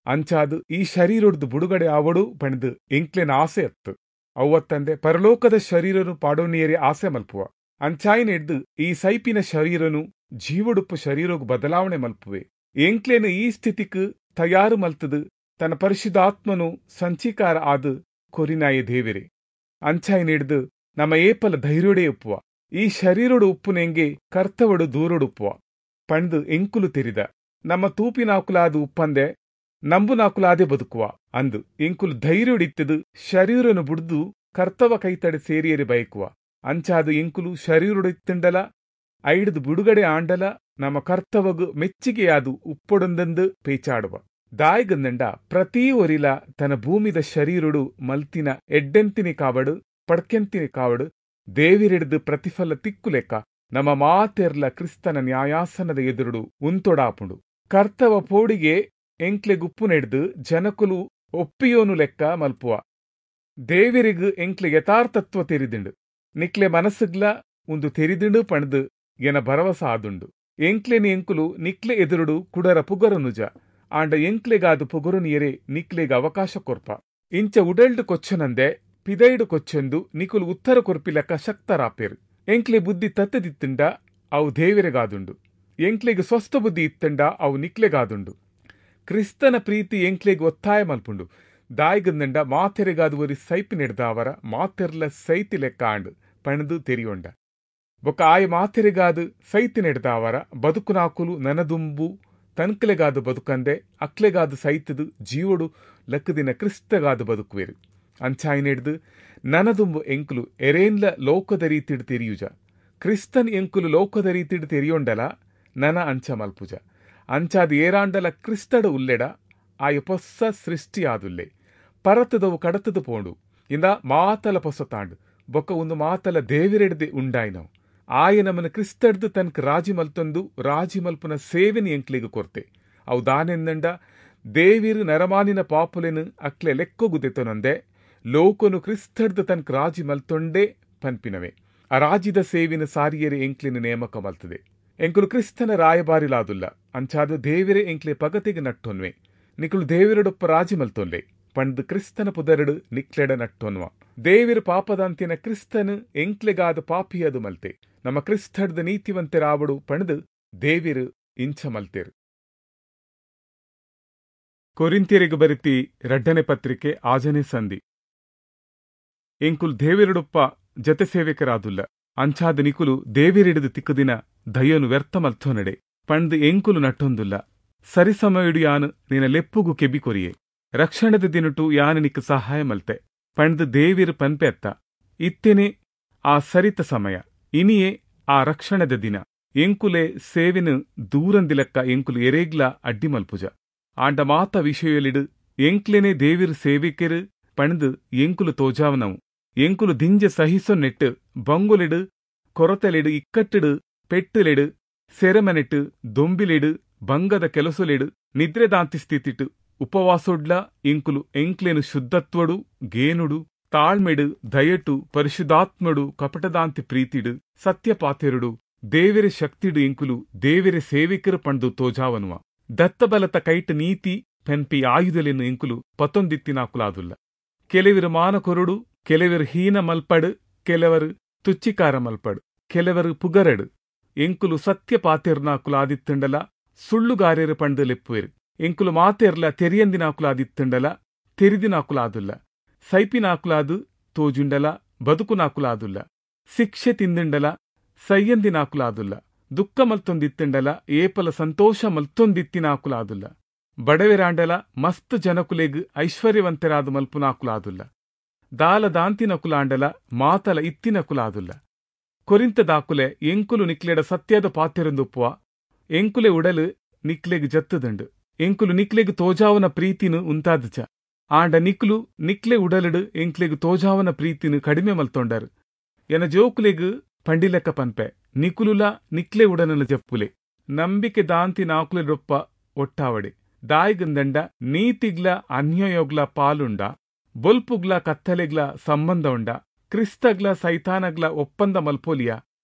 A: ಅಂಚಾದು ಈ ಶರೀರೊಡ್ದು ಬುಡುಗಡೆ ಆವಡು ಪಣದು ಎಂಕ್ಲೆನ ಆಸೆ ಅತ್ತು. ಅವ್ವತ್ತಂದೆ ಪರಲೋಕದ ಶರೀರನು ಪಾಡೋನಿಯರಿ ಆಸೆ ಮಲ್ಪುವ. ಅಂಚಾಯಿನ ಹಿಡ್ದು ಈ ಸೈಪಿನ ಶರೀರನು ಜೀವಡುಪ್ಪು ಶರೀರಗು ಬದಲಾವಣೆ ಮಲ್ಪುವೆ. ಎಂಕ್ಲೆನ ಈ ಸ್ಥಿತಿಕ್ ತಯಾರು ಮಲ್ತದು ತನ್ನ ಪರಿಶುದ್ಧಾತ್ಮನು ಸಂಚೀಕಾರ ಆದು ಕೊರಿನಾಯ ದೇವಿರೆ. ಅಂಚಾಯಿನ ಹಿಡ್ದು ನಮ್ಮ ಏಪಲ ಧೈರ್ಯೊಡೆ ಉಪ್ಪುವ. ಈ ಶರೀರೊಡು ಉಪ್ಪುನೆಂಗೆ ಕರ್ತವಡು ದೂರೊಡುಪ್ಪುವ ಪಂಡು ಎಂಕುಲು ತೆರಿದ. ನಮ್ಮ ತೂಪಿನಾಕುಲಾದ ಉಪ್ಪಂದೆ ನಂಬುನಾಕುಲಾದೆ ಬದುಕುವ ಅಂದು ಎಂಕುಲು ಧೈರ್ಯೊಡಿತ್ತದು ಶರೀರನು ಬುಡ್ದು ಕರ್ತವ ಕೈತಡೆ ಸೇರಿಯರಿ ಬಯಕುವ. ಅಂಚಾದು ಎಂಕುಲು ಶರೀರೊಡಿತ್ತಂಡಲ ಐಡ್ದು ಬುಡುಗಡೆ ಆಂಡಲ ನಮ್ಮ ಕರ್ತವಗು ಮೆಚ್ಚಿಗೆಯಾದು ಉಪ್ಪೊಡೊಂದಂದು ಪೇಚಾಡುವ. ದಾಯಿಗಂದಂಡ ಪ್ರತೀ ಒರಿಲ ತನ್ನ ಭೂಮಿದ ಶರೀರೊಡು ಮಲ್ತಿನ ಎಡ್ಡೆಂತಿನಿ ಕಾವಡು ಪಡ್ಕೆಂತಿನಿ ಕಾವಡು ದೇವಿರಿಡ್ದು ಪ್ರತಿಫಲ ತಿಕ್ಕುಲೆಕ್ಕ ನಮ್ಮ ಮಾತೆರ್ಲ ಕ್ರಿಸ್ತನ ನ್ಯಾಯಾಸನದ ಎದುರುಡು ಉಂತೊಡಾಪುಂಡು. ಕರ್ತವ ಪೋಡಿಗೆ ಎಂಕ್ಲೆ ಗುಪ್ಪು ನೆಡ್ದು ಜನಕುಲು ಒಪ್ಪಿಯೋನು ಲೆಕ್ಕ ಮಲ್ಪುವ. ದೇವಿರಿಗ್ ಎಂಕ್ಲೆ ಯಥಾರ್ಥತ್ವ ತೆರಿದಿಂಡು, ನಿಕ್ಲೆ ಮನಸ್ಸುಗ್ಲ ಉಂದು ತೆರಿದಿಂಡು ಪಂಡ್ದು ಎನ ಭರವಸ ಆದುಂಡು. ಎಂಕ್ಲೆನಿ ಎಂಕುಲು ನಿಕ್ಲೆ ಎದುರುಡು ಕುಡರ ಪುಗರನುಜ, ಆಂಡ ಎಂಕ್ಲೆಗಾದು ಪುಗರುನಿಯರೆ ನಿಕ್ಲೆಗ್ ಅವಕಾಶ ಕೊರ್ಪ. ಇಂಚ ಉಡಲ್ಡು ಕೊಚ್ಚನಂದೆ ಪಿದೈಡು ಕೊಚ್ಚೆಂದು ನಿಕುಲು ಉತ್ತರ ಕೊರ್ಪಿ ಲೆಕ್ಕ ಶಕ್ತರಾಪೇರು. ಎಂಕ್ಲೆ ಬುದ್ಧಿ ತತ್ತದಿತ್ತಂಡ ಅವು ದೇವಿರೆಗಾದುಂಡು, ಎಂಕ್ಲೆಗ್ ಸ್ವಸ್ಥ ಬುದ್ಧಿ ಇತ್ತಂಡ ಅವು ನಿಕ್ಲೆಗಾದುಂಡು. ಕ್ರಿಸ್ತನ ಪ್ರೀತಿ ಎಂಕ್ಲೆಗ್ ಒತ್ತಾಯ ಮಲ್ಪುಂಡು. ದಾಯಿಗಂದಂಡ ಮಾತೆರೆಗಾದು ಒರಿ ಸೈಪಿ ನೆಡ್ದಾವರ ಮಾತೆರ್ಲ ಸೈತಿ ಲೆಕ್ಕ ಆಂಡ್ ಪಣದು ತೆರಿಯೊಂಡ. ಬೊಕ್ಕ ಆಯ ಮಾತೆರೆಗಾದು ಸೈತಿ ನೆಡ್ದಾವರ ಬದುಕುನಾಕುಲು ನನದುಂಬು ತನ್ಕಲೆಗಾದು ಬದುಕಂದೆ ಅಕ್ಲೆಗಾದು ಸೈತದು ಜೀವಡು ಲಕ್ಕದಿನ ಕ್ರಿಸ್ತಗಾದು ಬದುಕುವೆರು. ಅಂಚಾಯಿನೆಡ್ದು ನನದುಂಬು ಎಂಕುಲು ಎರೇನ್ಲ ಲೋಕದ ರೀತಿಡ್ ತೆರಿಯುಜ. ಕ್ರಿಸ್ತನ್ ಎಂಕುಲು ಲೋಕದ ರೀತಿಡ್ ತೆರಿಯೊಂಡಲ ನನ ಅಂಚ ಮಲ್ಪುಜ. ಅಂಚಾದ ಏರಾಂಡಲ ಕ್ರಿಸ್ತಡು ಉಲ್ಲೆಡ ಆಯ ಪೊಸ್ಸ ಸೃಷ್ಟಿಯಾದುಲ್ಲೆ, ಪರತದವು ಕಡತದು ಪೋಂಡು ಇಂದ ಮಾತಲ ಪೊಸತಾಂಡು. ಬೊಕ್ಕ ಒಂದು ಮಾತಲ ದೇವಿರೆಡ್ದೆ ಉಂಡಾಯ್ನವು. ಆಯ ನಮನ ಕ್ರಿಸ್ತಡ್ದು ತನ್ಕ ರಾಜಿ ಮಲ್ತೊಂದು ರಾಜಿ ಮಲ್ಪುನ ಸೇವೆನ ಎಂಕ್ಲೆಗ್ ಕೊರ್ತೆ. ಅವು ದಾನೆಂದಂಡ ದೇವಿರು ನರಮಾನಿನ ಪಾಪುಲೆನು ಅಕ್ಲೆ ಲೆಕ್ಕೊಗು ದೆತೊನಂದೆ ಲೋಕನು ಕ್ರಿಸ್ತಡ್ದು ತನ್ಕ ರಾಜಿ ಮಲ್ತೊಂಡೇ ಪನ್ಪಿನವೆ. ಆ ರಾಜಿದ ಸೇವಿನ ಸಾರಿಯರೆ ಎಂಕ್ಲೆನ ನೇಮಕ ಮಲ್ತದೆ. ಎಂಕುಲು ಕ್ರಿಸ್ತನ ರಾಯಬಾರಿಲಾದುಲ್ಲ, ಅಂಚಾದ ದೇವಿರೆ ಎಂಕ್ಲೆ ಪಗತಿಗೆ ನಟ್ಟೊನ್ವೆ. ನಿಕುಲು ದೇವಿರಡೊಪ್ಪ ರಾಜಿ ಮಲ್ತೊನ್ಲೆ ಪಂಡ್ ಕ್ರಿಸ್ತನ ಪುದರಡು ನಿಕ್ಲೆಡ ನಟ್ಟೊನ್ವ. ದೇವಿರು ಪಾಪದಂತಿನ ಕ್ರಿಸ್ತನು ಎಂಕ್ಲೆಗಾದ ಪಾಪಿಯದು ಮಲ್ತೆ. ನಮ್ಮ ಕ್ರಿಸ್ತಡ್ದ ನೀತಿವಂತೆರಾವಡು ಪಣದು ದೇವಿರು ಇಂಚ ಮಲ್ತೇರು. ಕೊರಿಂತಿಯರಿಗೆ ಬರಿತಿ ರಡ್ಡನೆ ಪತ್ರಿಕೆ ಆಜನೆ ಸಂಧಿ. ಎಂಕುಲು ದೇವಿರಡೊಪ್ಪ ಜತೆ ಸೇವಕರಾದುಲ್ಲ, ಅಂಚಾದ ನಿಕುಲು ದೇವಿರಿಡಿದು ತಿಕ್ಕದಿನ ದಯನು ವ್ಯರ್ಥ ಮಲ್ತೊನಡೆ ಪಂಡ್ ಎಂಕುಲು ನಟ್ಟೊಂದುಲ್ಲ. ಸರಿಸಮಯುಡು ಯಾನು ನಿನ್ನ ಲೆಪ್ಪುಗು ಕೆಬಿ ಕೊರಿಯೆ, ರಕ್ಷಣದ ದಿನಟು ಯಾನು ನಿಕ್ಕ ಸಹಾಯ ಮಲ್ತೆ ಪಂಡ್ ದೇವಿರು ಪನ್ಪೆ ಅತ್ತ. ಇತ್ತೇನೆ ಆ ಸರಿತ ಸಮಯ, ಇನಿಯೇ ಆ ರಕ್ಷಣದ ದಿನ. ಎಂಕುಲೆ ಸೇವಿನ ದೂರಂದಿಲಕ್ಕ ಎಂಕುಲು ಎರೇಗ್ಲ ಅಡ್ಡಿ ಮಲ್ಪುಜ. ಆಂಡ ಮಾತ ವಿಷಯಲಿಡು ಎಂಕ್ಲೆನೆ ದೇವಿರು ಸೇವಿಕೆರು ಪಂಡ್ ಎಂಕುಲು ತೋಜಾವನವು. ಎಂಕುಲು ದಿಂಜ ಸಹಿಸೊ ನೆಟ್ಟು ಬಂಗುಲಿಡು ಕೊರತೆಲಿಡು ಇಕ್ಕಟ್ಟಿಡು ಪೆಟ್ಟುಲೆಡು ಸೆರೆಮನೆಟ್ಟು ದೊಂಬಿಲೆಡು ಬಂಗದ ಕೆಲಸೊಲೆಡು ನಿದ್ರೆದಾಂತಿ ಸ್ಥಿತಿಟ್ಟು ಉಪವಾಸೊಡ್ಲ ಎಂಕುಲು ಎಂಕ್ಲೆನು ಶುದ್ಧತ್ವಡು ಗೇನುಡು ತಾಳ್ಮೆಡು ದಯಟು ಪರಿಶುದ್ಧಾತ್ಮಡು ಕಪಟದಾಂತಿ ಪ್ರೀತಿಡು ಸತ್ಯಪಾತೆರುಡು ದೇವೆರೆ ಶಕ್ತಿಡು ಎಂಕುಲು ದೇವೆರೆ ಸೇವಿಕರು ಪಂಡು ತೋಜಾವನುವ. ದತ್ತಬಲತ ಕೈಟ್ ನೀತಿ ಪೆನ್ಪಿ ಆಯುಧಲೆನು ಎಂಕುಲು ಪತ್ತೊಂದಿತ್ತಿನಾಕುಲಾದುಲ್ಲ. ಕೆಲವರು ಮಾನಕೊರುಡು, ಕೆಲವರು ಹೀನ ಮಲ್ಪಡು, ಕೆಲವರು ತುಚ್ಚಿಕಾರ ಮಲ್ಪಡು, ಕೆಲವರು ಪುಗರಡು. ಎಂಕುಲು ಸತ್ಯ ಪಾತೆರ್ನಾಕುಲಾದಿತ್ತಂಡಲ ಸುಳ್ಳುಗಾರ್ಯರು ಪಂಡು ಲೆಪ್ಪುವೆರು. ಎಂಕುಲು ಮಾತೆರ್ಲ ತೆರಿಯಂದಿನಾಕುಲಾದಿತ್ತಂಡಲ ತೆರಿದಿನಾಕುಲಾದುಲ್ಲ. ಸೈಪಿನಾಕುಲಾದು ತೋಜುಂಡಲ ಬದುಕುನಾಕುಲಾದುಲ್ಲ. ಶಿಕ್ಷೆ ತಿಂದಿಂಡಲ ಸೈಯಂದಿನಾಕುಲಾದುಲ್ಲ. ದುಃಖ ಮಲ್ತೊಂದಿತ್ತಂಡಲ ಏಪಲ ಸಂತೋಷ ಮಲ್ತೊಂದಿತ್ತಿನಾಕುಲಾದುಲ್ಲ. ಬಡವೆರಾಂಡಲ ಮಸ್ತ್ ಜನಕುಲೆಗ್ ಐಶ್ವರ್ಯವಂತರಾದ ಮಲ್ಪುನಾಕುಲಾದುಲ್ಲ. ದಾಲ ದಾಂತಿನಕುಲಾಂಡಲ ಮಾತಲ ಇತ್ತಿನಕುಲಾದುಲ್ಲ. ಕೊರಿಂತ ದಾಕುಲೆ ಎಂಕುಲು ನಿಕ್ಲೆಡ ಸತ್ಯದ ಪಾತೆರೊಂದುಪ್ಪುವ. ಎಂಕುಲೆ ಉಡಲು ನಿಕ್ಲೆಗ್ ಜತ್ತುದಂಡು. ಎಂಕುಲು ನಿಕ್ಲೆಗ್ ತೋಜಾವನ ಪ್ರೀತಿನು ಉಂತಾದಜ. ಆಂಡ ನಿಕ್ಲು ನಿಕ್ಲೆ ಉಡಲುಡು ಎಂಕ್ಲೆಗ್ ತೋಜಾವನ ಪ್ರೀತಿನು ಕಡಿಮೆ ಮಲ್ತೊಂಡರು. ಎನ ಜೋಕುಲೆಗ್ ಪಂಡಿಲೆಕ್ಕ ಪನ್ಪೆ, ನಿಕುಲುಲ ನಿಕ್ಲೆ ಉಡನನ ಜಪ್ಪುಲೆ. ನಂಬಿಕೆ ದಾಂತಿ ನಾಕುಲೆಡೊಪ್ಪ ಒಟ್ಟಾವಡೆ. ದಾಯಿಗಂದಂಡ ನೀತಿಗ್ಲ ಅನ್ಯಾಯೋಗ್ಲ ಪಾಲುಂಡ, ಬೊಲ್ಪುಗ್ಲ ಕತ್ತಲೆಗ್ಲ ಸಂಬಂಧ ಉಂಡ, ಕ್ರಿಸ್ತಗ್ಲ ಸೈತಾನಗ್ಲ ಒಪ್ಪಂದ ಮಲ್ಪೋಲಿಯ,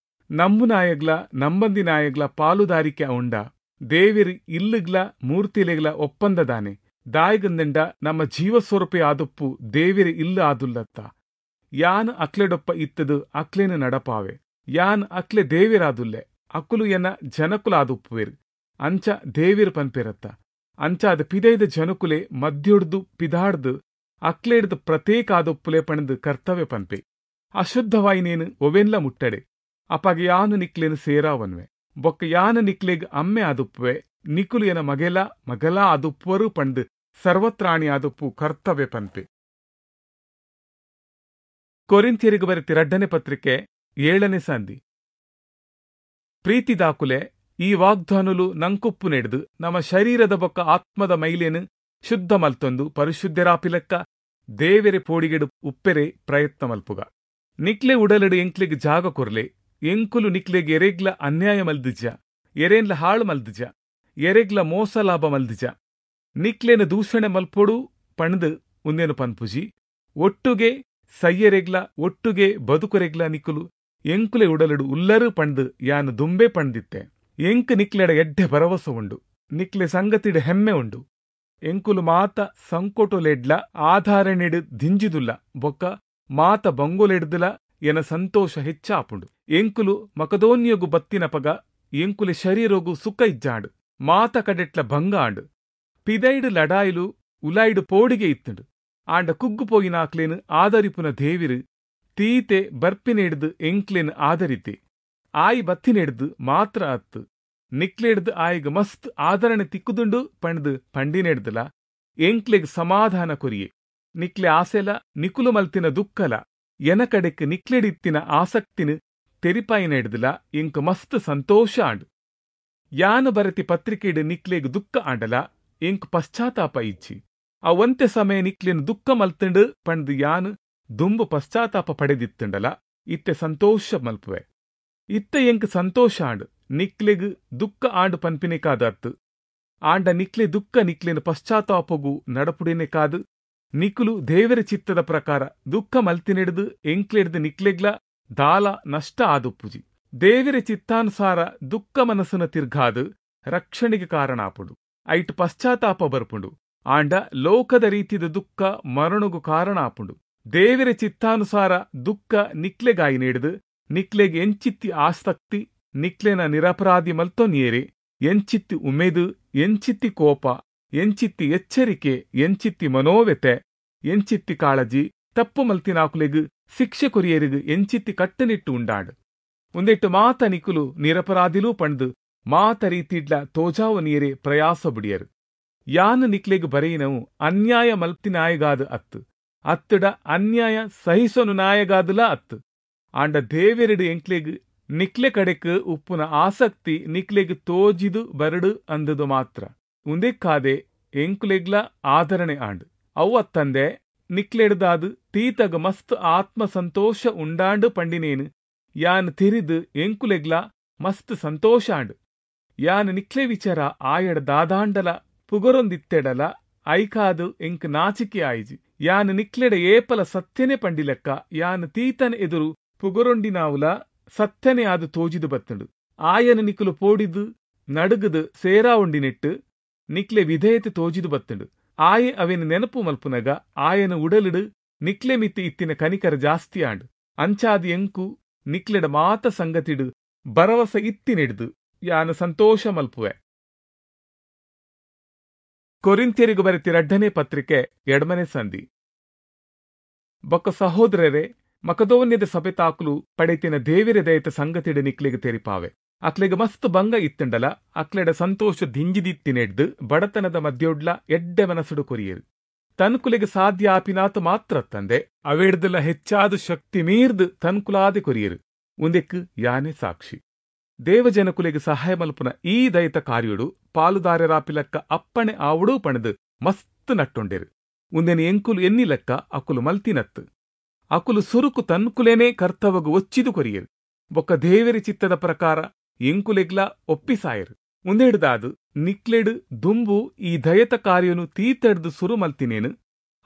A: ನಂಬುನಾಯಗ್ಲ ನಂಬಂದಿನಾಯಗ್ಲ ಪಾಲುದಾರಿಕೆ ಉಂಡ, ದೇವಿರ್ ಇಲ್ಲುಗ್ಲ ಮೂರ್ತಿಲೆಗ್ಲ ಒಪ್ಪಂದದಾನೆ. ದಾಯಿಗಂದಂಡ ನಮ್ಮ ಜೀವಸ್ವರೂಪೆ ಆದುಪ್ಪು ದೇವಿರ ಇಲ್ಲ ಆದುಲ್ಲತ್ತ. ಯಾನ್ ಅಕ್ಲೆಡೊಪ್ಪ ಇತ್ತದು ಅಕ್ಲೇನು ನಡಪಾವೆ. ಯಾನ್ ಅಕ್ಲೆ ದೇವಿರಾದುಲ್ಲೆ, ಅಕುಲು ಎನ ಜನಕುಲಾದುಪ್ಪುವೆರು. ಅಂಚ ದೇವಿರ್ ಪನ್ಪೆರತ್ತ. ಅಂಚಾದ ಪಿದೈದ ಜನಕುಲೆ ಮದ್ಯೊಡ್ದು ಪಿದಾಡ್ದು ಅಕ್ಲೇಡ್ದು ಪ್ರತ್ಯೇಕ ಆದೊಪ್ಪುಲೆ ಪಣದು ಕರ್ತವ್ಯ ಪನ್ಪೆ. ಅಶುದ್ಧವಾಯಿನೇನು ಒವೆನ್ಲ ಮುಟ್ಟಡೆ. ಅಪಾಗ ಯಾನು ನಿಕ್ಲೇನು ಸೇರಾವನ್ವೆ. ಬೊಕ್ಕ ಯಾನು ನಿಕ್ಲೆಗ್ ಅಮ್ಮೆ ಆದುಪ್ಪುವೆ, ನಿಕುಲು ಎನ ಮಗೆಲ ಮಗಲ ಆದುಪ್ಪುವರು ಪಂಡು ಸರ್ವತ್ರಾಣಿ ಆದುಪ್ಪು ಕರ್ತವ್ಯ ಪನ್ಪೆ. ಕೊರಿಂಥ್ಯರಿಗೆ ಬರೆತಿ ರಡ್ಡನೆ ಪತ್ರಿಕೆ ಏಳನೇ ಸಂಧಿ. ಪ್ರೀತಿ ದಾಕುಲೆ ಈ ವಾಗ್ದಾನುಲು ನಂಕುಪ್ಪು ನೆಡ್ದು ನಮ್ಮ ಶರೀರದ ಬೊಕ್ಕ ಆತ್ಮದ ಮೈಲೇನು ಶುದ್ಧ ಮಲ್ತೊಂದು ಪರಿಶುದ್ಧರಾಪಿಲೆಕ್ಕ ದೇವೆರೆ ಪೋಡಿಗೆಡು ಉಪ್ಪೆರೆ ಪ್ರಯತ್ನ ಮಲ್ಪುಗ. ನಿಕ್ಲೆ ಉಡಲಡು ಎಂಕ್ಲೆಗ್ ಜಾಗ ಕೊರ್ಲೆ. ಎಂಕುಲು ನಿಕ್ಲೆಗ್ ಎರೆಗ್ಲ ಅನ್ಯಾಯ ಮಲ್ದಿಜ, ಎರೇನ್ಲ ಹಾಳು ಮಲ್ದಿಜ, ಎರೆಗ್ಲ ಮೋಸ ಲಾಭ ಮಲ್ದಿಜ. ನಿಕ್ಲೇನ ದೂಷಣೆ ಮಲ್ಪೊಡು ಪಂಡ್ದ್ ಉಂದೆನು ಪನ್ಪುಜಿ. ಒಟ್ಟುಗೆ ಸಯ್ಯರೆಗ್ಲ ಒಟ್ಟುಗೆ ಬದುಕುರೆಗ್ಲ ನಿಕುಲು ಎಂಕುಲೆ ಉಡಲುಡು ಉಲ್ಲರು ಪಂಡ್ದ್ ಯಾನ್ ದುಂಬೆ ಪಂಡ್ದಿತ್ತೆ. ಎಂಕ್ ನಿಕ್ಲೆಡ ಎಡ್ಡೆ ಭರವಸೆ ಉಂಡು, ನಿಕ್ಲೆ ಸಂಗತಿಡ್ ಹೆಮ್ಮೆ ಉಂಡು. ಎಂಕುಲು ಮಾತ ಸಂಕೋಟೊಲೆಡ್ಲ ಆಧಾರಣೆಡ್ ದಿಂಜಿದುಲ್ಲ ಬೊಕ್ಕ ಮಾತ ಬಂಗೊಲೆಡ್ದಲ ಎನ ಸಂತೋಷ ಹೆಚ್ಚಾಪುಂಡು. ಎಂಕುಲು ಮಕದೋನ್ಯೊಗು ಬತ್ತಿನಪಗ ಎಂಕುಲೆ ಶರೀರೊಗು ಸುಖ ಇಜ್ಜಾಂಡ್, ಮಾತ ಕಡೆಟ್ಲ ಭಂಗ ಆಂಡ್. ಪಿದೈಡ್ ಲಡಾಯಿಲು, ಉಲಾಯ್ಡ್ ಪೋಡಿಗೆ ಇತ್ತುಂಡು. ಆಂಡ ಕುಗ್ಗು ಪೋಯಿನಾಕ್ಲೆನ್ ಆದರಿಪುನ ದೇವಿರು ತೀತೆ ಬರ್ಪಿನೆಡ್ದ್ ಎಂಕ್ಲೆನ್ ಆದರಿತೆ. ಆಯಿ ಬತ್ತಿನೆಡ್ದ್ ಮಾತ್ರ ಅತ್ತು, ನಿಕ್ಲೆಡ್ದ್ ಆಯಿಗ್ ಮಸ್ತ್ ಆದರಣೆ ತಿಕ್ಕುದುಂಡು ಪಂಡ್ದ್ ಪಂಡಿನೆಡ್ದಲ ಎಂಕ್ಲೆಗ್ ಸಮಾಧಾನ ಕೊರಿಯೆ. ನಿಕ್ಲೆ ಆಸೆಲ ನಿಕುಲು ಮಲ್ತಿನ ದುಃಖಲ ಎನ ಕಡೆಕ್ ನಿಕ್ಲೆಡಿತ್ತಿನ ಆಸಕ್ತಿನ ತೆರಿಪಾಯಿನೆಡ್ದಲ ಎಂಕ್ ಮಸ್ತ್ ಸಂತೋಷ ಆಂಡ್. ಯಾನು ಬರೆತಿ ಪತ್ರಿಕೆಡ್ ನಿಕ್ಲೆಗ್ ದುಃಖ ಆಂಡಲ ಎಂಕ್ ಪಶ್ಚಾತ್ತಾಪ ಇಜ್ಜಿ. ಆ ಒಂತೆ ಸಮಯ ನಿಕ್ಲೆನ್ ದುಃಖ ಮಲ್ತಂಡು ಪಂಡ್ದ್ ಯಾನ್ ದುಂಬು ಪಶ್ಚಾತ್ತಾಪ ಪಡೆದಿತ್ತಂಡಲ ಇತ್ತೆ ಸಂತೋಷ ಮಲ್ಪುವೆ. ಇತ್ತೆ ಎಂಕ್ ಸಂತೋಷ ಆಂಡ್, ನಿಕ್ಲೆಗ್ ದುಃಖ ಆಂಡ್ ಪನ್ಪಿನೆಕಾದತ್ತು. ಆಂಡ ನಿಕ್ಲೆ ದುಃಖ ನಿಕ್ಲೆನ್ ಪಶ್ಚಾತ್ತಾಪಗು ನಡಪುಡಿನೆಕಾದ್ ನಿಕುಲು ದೇವರ ಚಿತ್ತದ ಪ್ರಕಾರ ದುಃಖ ಮಲ್ತಿನೆಡ್ದು ಎಂಕ್ಲೆಡ್ದು ನಿಕ್ಲೆಗ್ಲ ದಾಲ ನಷ್ಟ ಆದುಪ್ಪುಜಿ. ದೇವರ ಚಿತ್ತಾನುಸಾರ ದುಃಖ ಮನಸ್ಸನ್ನು ತಿರ್ಗಾದು ರಕ್ಷಣೆಗೆ ಕಾರಣ ಆಪುಂಡು, ಐಟ್ ಪಶ್ಚಾತ್ತಾಪ ಬರ್ಪುಂಡು. ಆಂಡ ಲೋಕದ ರೀತಿದ ದುಃಖ ಮರಣಗು ಕಾರಣ ಆಪುಂಡು. ದೇವರ ಚಿತ್ತಾನುಸಾರ ದುಃಖ ನಿಕ್ಲೆಗಾಯಿ ನೀಡ್ದು ನಿಕ್ಲೆಗ್ ಎಂಚಿತ್ತಿ ಆಸಕ್ತಿ, ನಿಕ್ಲೆನ ನಿರಪರಾಧಿ ಮಲ್ತೊನ್ಯೇರೆ ಎಂಚಿತ್ತಿ ಉಮೇದು, ಎಂಚಿತ್ತಿ ಕೋಪ, ಎಂಚಿತ್ತಿ ಎಚ್ಚರಿಕೆ, ಎಂಚಿತ್ತಿ ಮನೋವ್ಯತೆ, ಎಂಚಿತ್ತಿ ಕಾಳಜಿ, ತಪ್ಪು ಮಲ್ತಿನಾಕುಲೆಗ್ ಶಿಕ್ಷೆ ಕೊರಿಯರಿಗೆ ಎಂಚಿತ್ತಿ ಕಟ್ಟುನಿಟ್ಟು ಉಂಡಾಂಡ್. ಒಂದೆಟ್ಟು ಮಾತ ನಿಕುಲು ನಿರಪರಾಧಿಲೂ ಪಂಡ್ದು ಮಾತ ರೀತಿಡ್ಲ ತೋಜಾವು ನೀರೆ ಪ್ರಯಾಸ ಬುಡಿಯರು. ಯಾನು ನಿಕ್ಲೆಗ್ ಬರೆಯಿನವು ಅನ್ಯಾಯ ಮಲ್ತಿನಾಯಗಾದ ಅತ್ತು, ಅತ್ತಡ ಅನ್ಯಾಯ ಸಹಿಸೋನು ನಾಯಗಾದಲ ಅತ್ತು. ಆಂಡ ದೇವೆರಡು ಎಂಕ್ಲೆಗ್ ನಿಕ್ಲೆ ಕಡೆಕ್ ಉಪ್ಪುನ ಆಸಕ್ತಿ ನಿಕ್ಲೆಗ್ ತೋಜಿದು ಬರಡು ಅಂದದು ಮಾತ್ರ. ಉಂದೆಕ್ಕಾದೆ ಎಂಕುಲೆಗ್ಲ ಆದರಣೆ ಆಂಡ್. ಅವು ಅತ್ತಂದೆ ನಿಕ್ಲೆಡ್ದಾದ್ ತೀತಗ ಮಸ್ತ್ ಆತ್ಮ ಸಂತೋಷ ಉಂಡಾಂಡು ಪಂಡಿನೇನು ಯಾನ್ ತೆರಿದು ಎಂಕುಲೆಗ್ಲ ಮಸ್ತ್ ಸಂತೋಷ ಆಂಡ್. ಯಾನ್ ನಿಕ್ಲೆ ವಿಚಾರ ಆಯಡ ದಾದಾಂಡಲ ಪುಗರೊಂದಿತ್ತೆಡಲ ಐಕಾದು ಎಂಕ್ ನಾಚಿಕೆ ಆಯಿಜಿ. ಯಾನ್ ನಿಕ್ಲೆಡ ಏಪಲ ಸತ್ಯನೆ ಪಂಡಿಲೆಕ್ಕ ಯಾನ್ ತೀತನ ಎದುರು ಪುಗರೊಂಡಿನಾವುಲ ಸತ್ಯನೆ ಆದು ತೋಜಿದು ಬತ್ತುಂಡು. ಆಯನ ನಿಕುಲು ಪೋಡಿದು ನಡುಗುದು ಸೇರಾವುಂಡಿನೆಟ್ಟು ನಿಕ್ಲೆ ವಿಧೇಯತೆ ತೋಜಿದು ಬತ್ತುಂಡು. ಆಯೆ ಅವೇನು ನೆನಪು ಮಲ್ಪುನಗ ಆಯನ ಉಡಲಿಡು ನಿಕ್ಲೆ ಮಿತ್ತಿ ಇತ್ತಿನ ಕನಿಕರ ಜಾಸ್ತಿ ಆಂಡ್. ಅಂಚಾದ ಎಂಕು ನಿಕ್ಲೆಡ ಮಾತ ಸಂಗತಿಡು ಭರವಸೆ ಇತ್ತಿನೆಡ್ದು ಯಾನು ಸಂತೋಷ ಮಲ್ಪುವೆ. ಕೊರಿಂಥ್ಯರಿಗೂ ಬರೆತಿ ರಡ್ಡನೇ ಪತ್ರಿಕೆ ಎಡಮನೆ ಸಂಧಿ. ಬೊಕ್ಕ ಸಹೋದರರೇ, ಮಕದೋನ್ಯದ ಸಭೆ ತಾಕುಲು ಪಡೆತಿನ ದೇವಿರ ದಯತ ಸಂಗತಿಡು ನಿಕ್ಲೆಗ್ ತೆರಿಪಾವೆ. ಅಕ್ಲೆಗ್ ಮಸ್ತ್ ಭಂಗ ಇತ್ತಂಡಲ ಅಕ್ಲೆಡ ಸಂತೋಷ ದಿಂಜಿದಿತ್ತಿನೆಡ್ದು ಬಡತನದ ಮಧ್ಯೋಡ್ಲ ಎಡ್ಡೆ ಮನಸ್ಸುಡು ಕೊರಿಯರು. ತನ್ಕುಲೆಗ್ ಸಾಧ್ಯ ಆಪಿನಾತು ಮಾತ್ರ ತಂದೆ ಅವೆಡ್ದಲ ಹೆಚ್ಚಾದ ಶಕ್ತಿ ಮೀರ್ದು ತನ್ಕುಲಾದೆ ಕೊರಿಯರು. ಉಂದೆಕ್ ಯಾನೆ ಸಾಕ್ಷಿ. ದೇವಜನಕುಲೆಗ್ ಸಹಾಯ ಮಲ್ಪುನ ಈ ದಯತ ಕಾರ್ಯುಡು ಪಾಲುದಾರರಾಪಿಲಕ್ಕ ಅಪ್ಪಣೆ ಆವುಡು ಪಣದು ಮಸ್ತ್ ನಟ್ಟೊಂಡೆರು. ಉಂದೆನ ಎಂಕುಲು ಎನ್ನಿಲಕ್ಕ ಅಕುಲು ಮಲ್ತಿನತ್ತು. ಅಕುಲು ಸುರುಕು ತನ್ಕುಲೇನೆ ಕರ್ತವಗು ಒಚ್ಚಿದು ಕೊರಿಯರು. ಬೊಕ್ಕ ದೇವರಿ ಚಿತ್ತದ ಪ್ರಕಾರ ಎಂಕುಲೆಗ್ಲ ಒಪ್ಪಿಸಾಯರು. ಉಂದೆಡ್ದಾದು ನಿಕ್ಲೆಡು ದುಂಬು ಈ ದಯತ ಕಾರ್ಯನು ತೀತಡ್ದು ಸುರು ಮಲ್ತಿನೇನು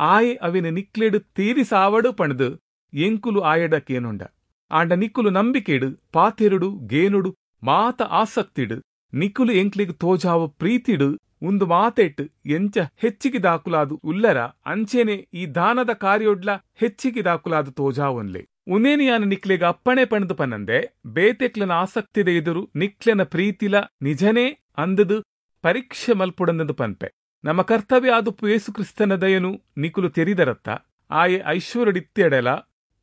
A: ಆಯೆ ಅವಿನ ನಿಕ್ಲೆಡು ತೀರಿಸಾವಡು ಪಣದು ಎಂಕುಲು ಆಯಡಕೇನುಂಡ. ಆಂಡ ನಿಕ್ಕುಲು ನಂಬಿಕೆಡು ಪಾತೆರುಡು ಗೇನುಡು ಮಾತ ಆಸಕ್ತಿಡು ನಿಕ್ಕುಲು ಎಂಕ್ಲೆಗ್ ತೋಜಾವ ಪ್ರೀತಿಡು ಉಂದು ಮಾತೆಟ್ಟು ಎಂಚ ಹೆಚ್ಚಿಗೆ ದಾಕುಲಾದು ಉಲ್ಲರ ಅಂಚೆನೆ ಈ ದಾನದ ಕಾರ್ಯೊಡ್ಲ ಹೆಚ್ಚಿಗೆ ದಾಕುಲಾದು ತೋಜಾವೊನ್ಲೆ. ಉನೇನಿಯಾನ ನಿಕ್ಲೆಗ್ ಅಪ್ಪಣೆ ಪಣದು ಪನ್ನಂದೆ ಬೇತೆಕ್ಲನ ಆಸಕ್ತಿದ ಎದುರು ನಿಕ್ಲೆನ ಪ್ರೀತಿಲ ನಿಜನೇ ಅಂದದು ಪರೀಕ್ಷೆ ಮಲ್ಪುಡಂದದು ಪನ್ಪೆ. ನಮ್ಮ ಕರ್ತವ್ಯ ಆದುಪ್ಪು ಯೇಸು ಕ್ರಿಸ್ತನ ದಯನು ನಿಕುಲು ತೆರಿದರತ್ತ. ಆಯೆ ಐಶ್ವರ್ಯಡಿತ್ತೆಡಲ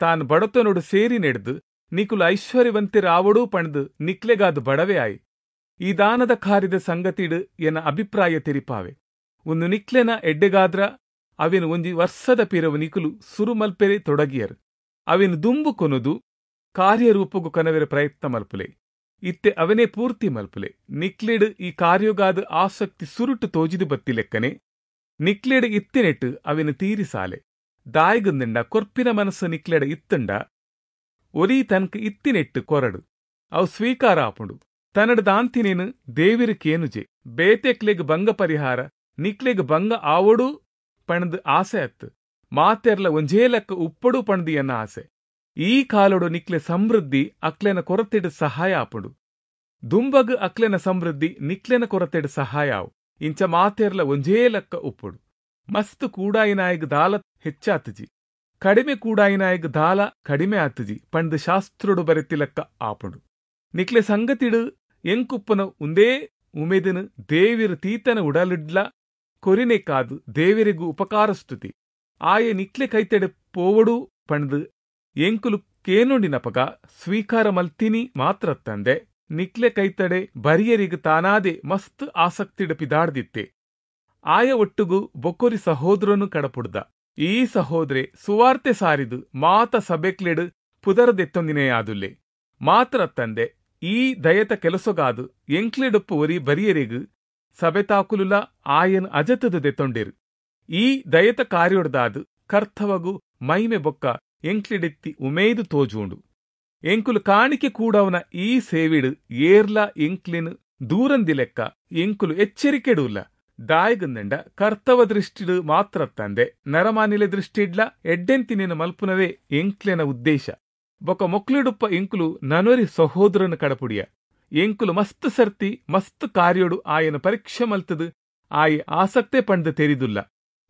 A: ತಾನು ಬಡತನೊಡು ಸೇರಿ ನೆಡ್ದು ನಿಕುಲು ಐಶ್ವರ್ಯವಂತಿರಾವಡೂ ಪಣದು ನಿಕ್ಲೆಗಾದು ಬಡವೆ ಆಯಿ. ಈ ದಾನದ ಕಾರ್ಯದ ಸಂಗತಿಡು ಎನ್ನ ಅಭಿಪ್ರಾಯ ತೆರಿಪಾವೆ. ಒಂದು ನಿಕ್ಲೆನ ಎಡ್ಡೆಗಾದ್ರ ಅವಿನ ಒಂಜಿ ವರ್ಷದ ಪಿರವು ನಿಕುಲು ಸುರುಮಲ್ಪೆರೆ ತೊಡಗಿಯರು. ಅವಿನ ದುಂಬು ಕೊನದು ಕಾರ್ಯರೂಪಗು ಕನವೆರ ಪ್ರಯತ್ನ ಮಲ್ಪುಲೆ. ಇತ್ತೆ ಅವನೇ ಪೂರ್ತಿ ಮಲ್ಪುಲೆ. ನಿಕ್ಲೆಡು ಈ ಕಾರ್ಯಗಾದ ಆಸಕ್ತಿ ಸುರುಟು ತೋಜಿದು ಬತ್ತಿಲೆಕ್ಕನೆ ನಿಕ್ಲೆಡು ಇತ್ತಿನೆಟ್ಟು ಅವಿನ ತೀರಿಸಾಲೆ. ದಾಯಿಗಂದಂಡ ಕೊರ್ಪಿನ ಮನಸ್ಸು ನಿಕ್ಲೆಡ ಇತ್ತಂಡ ಒರಿ ತನಕ ಇತ್ತಿನೆಟ್ಟು ಕೊರಡು ಅವು ಸ್ವೀಕಾರ ಆಪುಂಡು. ತನ್ನಡ ದಾಂತಿನೇನು ದೇವಿರಕೇನುಜೆ. ಬೇತೆಕ್ಲೆಗ್ ಭಂಗ ಪರಿಹಾರ ನಿಕ್ಲೆಗ್ ಭಂಗ ಆವಡು ಪಣದು ಆಸೆ ಅತ್ತು, ಮಾತೆರ್ಲ ಒಂಜೇ ಲೆಕ್ಕ ಉಪ್ಪಡು ಪಣದು ಎನ್ನ ಆಸೆ. ಈ ಕಾಲೊಡು ನಿಕ್ಲೆ ಸಮೃದ್ಧಿ ಅಕ್ಲೆನ ಕೊರತೆಡ್ ಸಹಾಯ ಆಪುಂಡು, ದುಂಬಗ್ ಅಕ್ಲೆನ ಸಮೃದ್ಧಿ ನಿಕ್ಲೆನ ಕೊರತೆಡ್ ಸಹಾಯ ಆವು. ಇಂಚ ಮಾತೆರ್ಲ ಒಂಜೇ ಲೆಕ್ಕ ಉಪ್ಪುಡು. ಮಸ್ತ್ ಕೂಡಾಯಿನಾಯಗ್ ದಾಲ ಹೆಚ್ಚಾತುಜಿ, ಕಡಿಮೆ ಕೂಡಾಯಿನಾಯಗ್ ದಾಲ ಕಡಿಮೆ ಆತುಜಿ ಪಂದ್ ಶಾಸ್ತ್ರೊಡು ಬರೆತಿ ಲೆಕ್ಕ ಆಪುಂಡು. ನಿಕ್ಲೆ ಸಂಗತಿಡು ಎಂಕುಪ್ಪುನ ಉಂದೇ ಉಮೇದಿನ ದೇವಿರು ತೀತನ ಉಡಲಿಡ್ಲ ಕೊರಿನೆಕಾದು ದೇವಿರಿಗು ಉಪಕಾರ ಸ್ತುತಿ. ಆಯೆ ನಿಕ್ಲೆ ಕೈತೆಡೆ ಪೋವಡು ಪಂದ್ ಎಂಕುಲು ಕೇನುಂಡಿನಪಗ ಸ್ವೀಕಾರ ಮಲ್ತಿನಿ ಮಾತ್ರ ತಂದೆ ನಿಕ್ಲೆ ಕೈತಡೆ ಬರಿಯರಿಗು ತಾನಾದೆ ಮಸ್ತ್ ಆಸಕ್ತಿಡು ಪಿದಾಡ್ದಿತ್ತೆ. ಆಯ ಒಟ್ಟುಗು ಬೊಕ್ಕೊರಿ ಸಹೋದರನು ಕಡಪುಡ್ದ. ಈ ಸಹೋದರೆ ಸುವಾರ್ತೆ ಸಾರಿದು ಮಾತ ಸಬೆಕ್ಲೆಡು ಪುದರದೆತ್ತೊಂದಿನೇ ಆದುಲ್ಲೆ. ಮಾತ್ರ ತಂದೆ ಈ ದಯತ ಕೆಲಸಗಾದು ಎಂಕ್ಲೆಡೊಪ್ಪು ಒರಿ ಬರಿಯರಿಗು ಸಬೆತಾಕುಲುಲ ಆಯನ್ ಅಜತದು ದೆತ್ತೊಂಡಿರು. ಈ ದಯತ ಕಾರ್ಯೊಡ್ದಾದು ಕರ್ತವಗು ಮೈಮೆ ಬೊಕ್ಕ ಎಂಕ್ಲೆಡೆತ್ತಿ ಉಮೇದು ತೋಜುಂಡು. ಎಂಕುಲು ಕಾಣಿಕೆ ಕೂಡವನ ಈ ಸೇವಿಡು ಏರ್ಲ ಎಂಕ್ಲೆನು ದೂರಂದಿ ಲೆಕ್ಕ ಎಂಕುಲು ಎಚ್ಚರಿಕೆಡುಲ್ಲ. ದಾಯಗಂದಂಡ ಕರ್ತವ ದೃಷ್ಟಿಡು ಮಾತ್ರ ತಂದೆ ನರಮಾನಿಲೆ ದೃಷ್ಟಿಡ್ಲ ಎಡ್ಡೆಂತಿನೇನು ಮಲ್ಪುನವೇ ಎಂಕ್ಲೆನ ಉದ್ದೇಶ. ಬೊಕ ಮೊಕ್ಲೆಡುಪ್ಪ ಎಂಕುಲು ನನೊರಿ ಸಹೋದರನು ಕಡಪುಡಿಯ. ಎಂಕುಲು ಮಸ್ತ್ ಸರ್ತಿ ಮಸ್ತ್ ಕಾರ್ಯೊಡು ಆಯನ ಪರೀಕ್ಷೆ ಮಲ್ತದು ಆಯೆ ಆಸಕ್ತೆ ಪಂಡ್ ತೆರಿದುಲ್ಲ.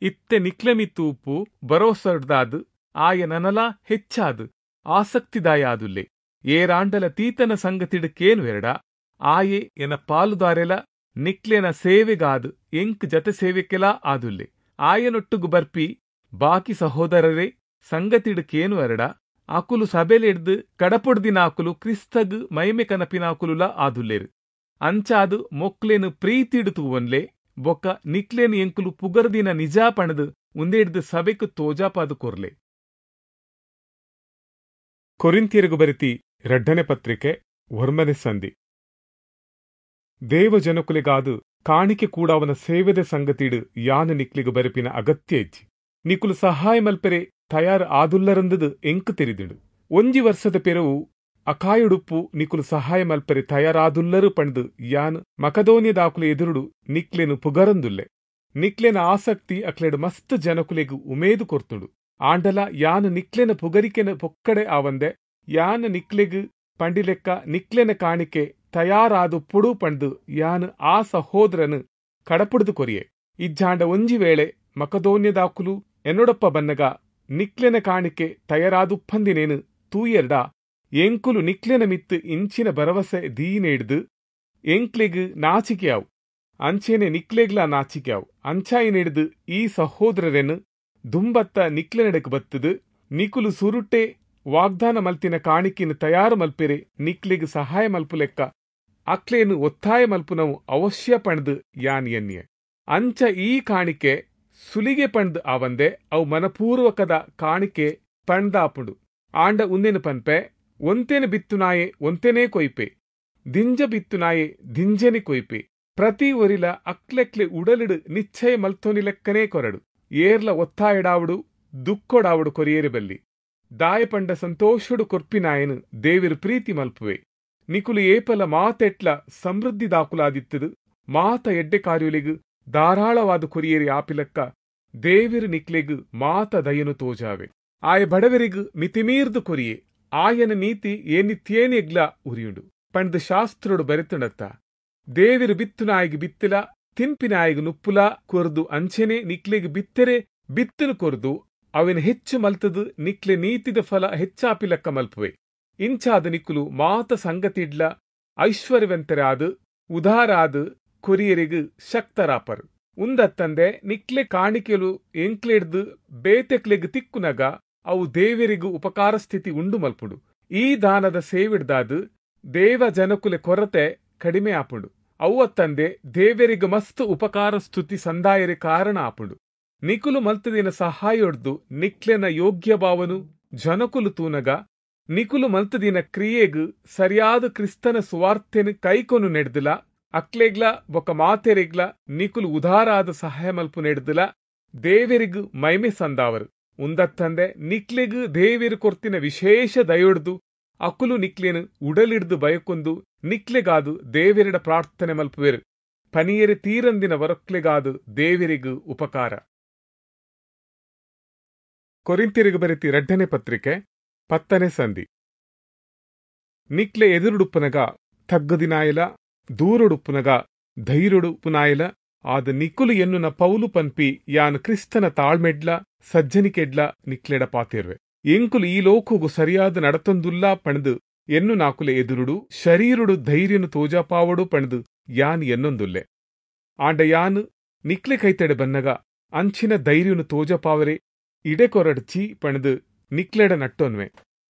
A: ಇತ್ತೆ ನಿಕ್ಲೆಮಿ ತೂಪು ಭರೋಸಡ್ದಾದು ಆಯ ನನಲ ಹೆಚ್ಚಾದು ಆಸಕ್ತಿದಾಯಾದುಲ್ಲೆ. ಏರಾಂಡಲ ತೀತನ ಸಂಗತಿಡು ಕೇನು ಎರಡ ಆಯೆ ಎನ ಪಾಲುದಾರೆಲ ನಿಕ್ಲೆನ ಸೇವೆಗಾದು ಎಂಕ್ ಜತೆ ಸೇವೆಕೆಲಾ ಆದುಲ್ಲೆ. ಆಯನೊಟ್ಟುಗು ಬರ್ಪಿ ಬಾಕಿ ಸಹೋದರರೇ ಸಂಗತಿಡು ಕೇನು ಎರಡ ಆಕುಲು ಸಬೆಲೆಡ್ದು ಕಡಪೊಡ್ದಿನಾಕುಲು ಕ್ರಿಸ್ತಗ್ ಮೈಮೆ ಕನಪಿನಾಕುಲುಲ ಆದುಲ್ಲೇರು. ಅಂಚಾದು ಮೊಕ್ಲೆನು ಪ್ರೀತಿಡು ತೂವನ್ಲೆ ಬೊಕ್ಕ ನಿಕ್ಲೇನು ಎಂಕುಲು ಪುಗರ್ದಿನ ನಿಜ ಪಣದು ಉಂದೆಡ್ದು ಸಬೆಕು ತೋಜಾಪಾದು ಕೊರ್ಲೆ. ಕೊರಿಂಥಿಯರಿಗು ಬರೆತಿ ರಡ್ಡನೆ ಪತ್ರಿಕೆ ಒರ್ಮನೆ ಸಂಧಿ. ದೇವಜನಕುಲೆಗಾದು ಕಾಣಿಕೆ ಕೂಡಾವನ ಸೇವೆದ ಸಂಗತಿಡು ಯಾನು ನಿಕ್ಲಿಗು ಬರೆಪಿನ ಅಗತ್ಯ ಇಜ್ಜಿ. ನಿಕುಲು ಸಹಾಯ ಮಲ್ಪೆರೆ ತಯಾರು ಆದುಲ್ಲರಂದದು ಎಂಕು ತೆರಿದಿಡು. ಒಂಜಿ ವರ್ಷದ ಪೆರವು ಅಕಾಯುಡುಪ್ಪು ನಿಕುಲು ಸಹಾಯ ಮಲ್ಪೆರೆ ತಯಾರಾದುಲ್ಲರು ಪಂಡು ಯಾನ್ ಮಕದೋನ್ಯದಾಕುಲು ಎದುರುಡು ನಿಕ್ಲೆನು ಪುಗರಂದುಲ್ಲೆ. ನಿಕ್ಲೆನ ಆಸಕ್ತಿ ಅಕ್ಲೆಡು ಮಸ್ತ್ ಜನಕುಲೆಗು ಉಮೇದು ಕೊರ್ತುಂಡು. ಆಂಡಲ ಯಾನ್ ನಿಕ್ಲೆನ ಪುಗರಿಕೆನ ಪೊಕ್ಕಡೆ ಆವಂದೆ ಯಾನ್ ನಿಕ್ಲೆಗು ಪಂಡಿಲೆಕ್ಕ ನಿಕ್ಲೆನ ಕಾಣಿಕೆ ತಯಾರಾದು ಪುಡು ಪಂಡು ಯಾನ್ ಆ ಸಹೋದರನು ಕಡಪುಡ್ದು ಕೊರಿಯೆ. ಇಜ್ಜಾಂಡ ಒಂಜಿ ವೇಳೆ ಮಕದೋನ್ಯದಾಕುಲು ಎನ್ನೊಡಪ್ಪ ಬನ್ನಗ ನಿಕ್ಲೆನ ಕಾಣಿಕೆ ತಯಾರಾದುಪ್ಪಂದಿನೇನು ತೂಯೆರ್ಡ ಎಂಕುಲು ನಿಕ್ಲೆನ ಮಿತ್ತು ಇಂಚಿನ ಭರವಸೆ ದೀನೇಡ್ದು ಎಂಕ್ಲೆಗು ನಾಚಿಕೆಯಾವು, ಅಂಚೆನೆ ನಿಕ್ಲೆಗ್ಲ ನಾಚಿಕೆಯಾವು. ಅಂಚಾಯಿನೆಡ್ದು ಈ ಸಹೋದರರೆನು ದುಂಬತ್ತ ನಿಕ್ಲೆನಡೆಕ್ ಬತ್ತದು ನಿಕುಲು ಸುರುಟೆ ವಾಗ್ದಾನ ಮಲ್ತಿನ ಕಾಣಿಕೆನ ತಯಾರು ಮಲ್ಪೆರೆ ನಿಕ್ಲೆಗ್ ಸಹಾಯ ಮಲ್ಪುಲೆಕ್ಕ ಅಕ್ಲೇನು ಒತ್ತಾಯ ಮಲ್ಪುನವು ಅವಶ್ಯ ಪಂಡ್ದು ಯಾನ್ ಎನ್ನಿಯ. ಅಂಚ ಈ ಕಾಣಿಕೆ ಸುಲಿಗೆ ಪಂಡ್ದು ಆವಂದೆ ಅವು ಮನಪೂರ್ವಕದ ಕಾಣಿಕೆ ಪಂಡ್ದಾಪುಂಡು. ಆಂಡ ಉಂದೇನು ಪನ್ಪೆ, ಒಂತೇನೆ ಬಿತ್ತುನಾಯೆ ಒಂತೇನೇ ಕೊಯ್ಪೆ, ದಿಂಜ ಬಿತ್ತುನಾಯೆ ದಿಂಜನೆ ಕೊಯ್ಪೆ. ಪ್ರತಿ ಒರಿಲ ಅಕ್ಲೆಕ್ಲೆ ಉಡಲಿಡು ನಿಶ್ಚಯ ಮಲ್ತೊನಿ ಲೆಕ್ಕನೇ ಕೊರಡು. ಏರ್ಲ ಒತ್ತಾಯಡಾವುಡು ದುಕ್ಕೊಡಾವುಡು ಕೊರಿಯೇರಿ ಬಲ್ಲಿ. ದಾಯ ಪಂಡ ಸಂತೋಷಡು ಕೊರ್ಪಿನಾಯನು ದೇವಿರು ಪ್ರೀತಿ ಮಲ್ಪುವೆ. ನಿಕುಲು ಏಪಲ ಮಾತೆಟ್ಲ ಸಮೃದ್ಧಿ ದಾಕುಲಾದಿತ್ತದು ಮಾತ ಎಡ್ಡೆ ಕಾರ್ಯುಲಿಗು ಧಾರಾಳವಾದ ಕೊರಿಯೇರಿ ಆಪಿಲಕ್ಕ ದೇವಿರು ನಿಕ್ಲೆಗು ಮಾತ ದಯನು ತೋಜಾವೆ. ಆಯ ಬಡವರಿಗು ಮಿತಿಮೀರ್ದು ಕೊರಿಯೆ, ಆಯನ ನೀತಿ ಏನಿತ್ಯೇನೆಗ್ಲ ಉರಿಯುಂಡು ಪಂಡ್ದು ಶಾಸ್ತ್ರಡು ಬರೆತುಂಡತ್ತ. ದೇವಿರು ಬಿತ್ತುನಾಯಿಗೆ ಬಿತ್ತಿಲ, ತಿನ್ಪಿನಾಯಿಗೆ ನುಪ್ಪುಲ ಕೊರ್ದು ಅಂಚೆನೆ ನಿಕ್ಲೆಗ್ ಬಿತ್ತೆರೆ ಬಿತ್ತನು ಕೊರ್ದು ಅವಿನ ಹೆಚ್ಚು ಮಲ್ತದು ನಿಕ್ಲೆ ನೀತಿದ ಫಲ ಹೆಚ್ಚಾಪಿಲಕ್ಕ ಮಲ್ಪುವೆ. ಇಂಚಾದ ನಿಕ್ಕುಲು ಮಾತ ಸಂಗತಿಡ್ಲ ಐಶ್ವರ್ಯವಂತರಾದು ಉದಾರಾದು ಕೊರಿಯರಿಗು ಶಕ್ತರಾಪರು. ಉಂದತ್ತಂದೆ ನಿಕ್ಲೆ ಕಾಣಿಕೆಲು ಎಂಕ್ಲೆಡ್ದು ಬೇತೆಕ್ಲೆಗ್ ತಿಕ್ಕುನಗ ಅವು ದೇವರಿಗೂ ಉಪಕಾರ ಸ್ಥಿತಿ ಉಂಡು ಮಲ್ಪುಂಡು. ಈ ದಾನದ ಸೇವಿಡ್ದಾದು ದೇವ ಜನಕುಲೆ ಕೊರತೆ ಕಡಿಮೆ ಆಪುಂಡು. ಅವ್ವತ್ತಂದೆ ದೇವರಿಗೂ ಮಸ್ತ್ ಉಪಕಾರ ಸ್ತುತಿ ಸಂದಾಯರೆ ಕಾರಣ ಆಪುಂಡು. ನಿಕುಲು ಮಲ್ತದಿನ ಸಹಾಯೊಡ್ದು ನಿಕ್ಲೆನ ಯೋಗ್ಯ ಭಾವನು ಜನಕುಲು ತೂನಗ ನಿಕುಲು ಮಲ್ತದಿನ ಕ್ರಿಯೆಗು ಸರಿಯಾದ ಕ್ರಿಸ್ತನ ಸುವಾರ್ತೆನು ಕೈಕೊನು ನೆಡ್ದಿಲ ಅಕ್ಲೆಗ್ಲ ಬೊಕ ಮಾತೆರೆಗ್ಲ ನಿಕುಲು ಉದಾರಾದ ಸಹಾಯ ಮಲ್ಪು ನೆಡ್ದಿಲ ದೇವರಿಗೂ ಮೈಮೆ ಸಂದಾವರು. ಉಂದತ್ತಂದೆ ನಿಕ್ಲೆಗು ದೇವಿರು ಕೊರ್ತಿನ ವಿಶೇಷ ದಯೊಡ್ದು ಅಕುಲು ನಿಕ್ಲೇನು ಉಡಲಿಡ್ದು ಬಯಕೊಂದು ನಿಕ್ಲೆಗಾದು ದೇವಿರಡ ಪ್ರಾರ್ಥನೆ ಮಲ್ಪುವೆರು. ಪನಿಯರೆ ತೀರಂದಿನ ವರಕ್ಲೆಗಾದು ದೇವಿರಿಗು ಉಪಕಾರ. ಕೊರಿಂಥ್ಯರಿಗೆ ಬರೆತಿ ರಡ್ಡನೆ ಪತ್ರಿಕೆ ಪತ್ತನೆ ಸಂಧಿ. ನಿಕ್ಲೆ ಎದುರುಡುಪ್ಪನಗ ತಗ್ಗದಿನಾಯಲ, ದೂರುಡುಪ್ಪುನಗ ಧೈರ್ಯುಡುಪ್ಪುನಾಯಲ ಆದ ನಿಕ್ಕುಲು ಎನ್ನುನ ಪೌಲು ಪನ್ಪಿ ಯಾನ್ ಕ್ರಿಸ್ತನ ತಾಳ್ಮೆಡ್ಲ ಸಜ್ಜನಿಕೆಡ್ಲ ನಿಕ್ಲೆಡ ಪಾತಿರ್ವೆ. ಎಂಕುಲು ಈ ಲೋಕುಗು ಸರಿಯಾದ ನಡತೊಂದುಲ್ಲಾ ಪಣದು ಎನ್ನು ನಾಕುಲೆ ಎದುರುಡು ಶರೀರುಡು ಧೈರ್ಯನು ತೋಜಾಪಾವಡು ಪಣದು ಯಾನ್ ಎನ್ನೊಂದುಲ್ಲೆ. ಆಂಡ ಯಾನ್ ನಿಕ್ಲೆ ಕೈತಡೆ ಬನ್ನಗ ಅಂಚಿನ ಧೈರ್ಯನು ತೋಜಪಾವರೆ ಇಡೆ ಕೊರಡ್ಚಿ ಪಣದು ನಿಕ್ಲೆಡ ನಟ್ಟೊನ್ವೆ.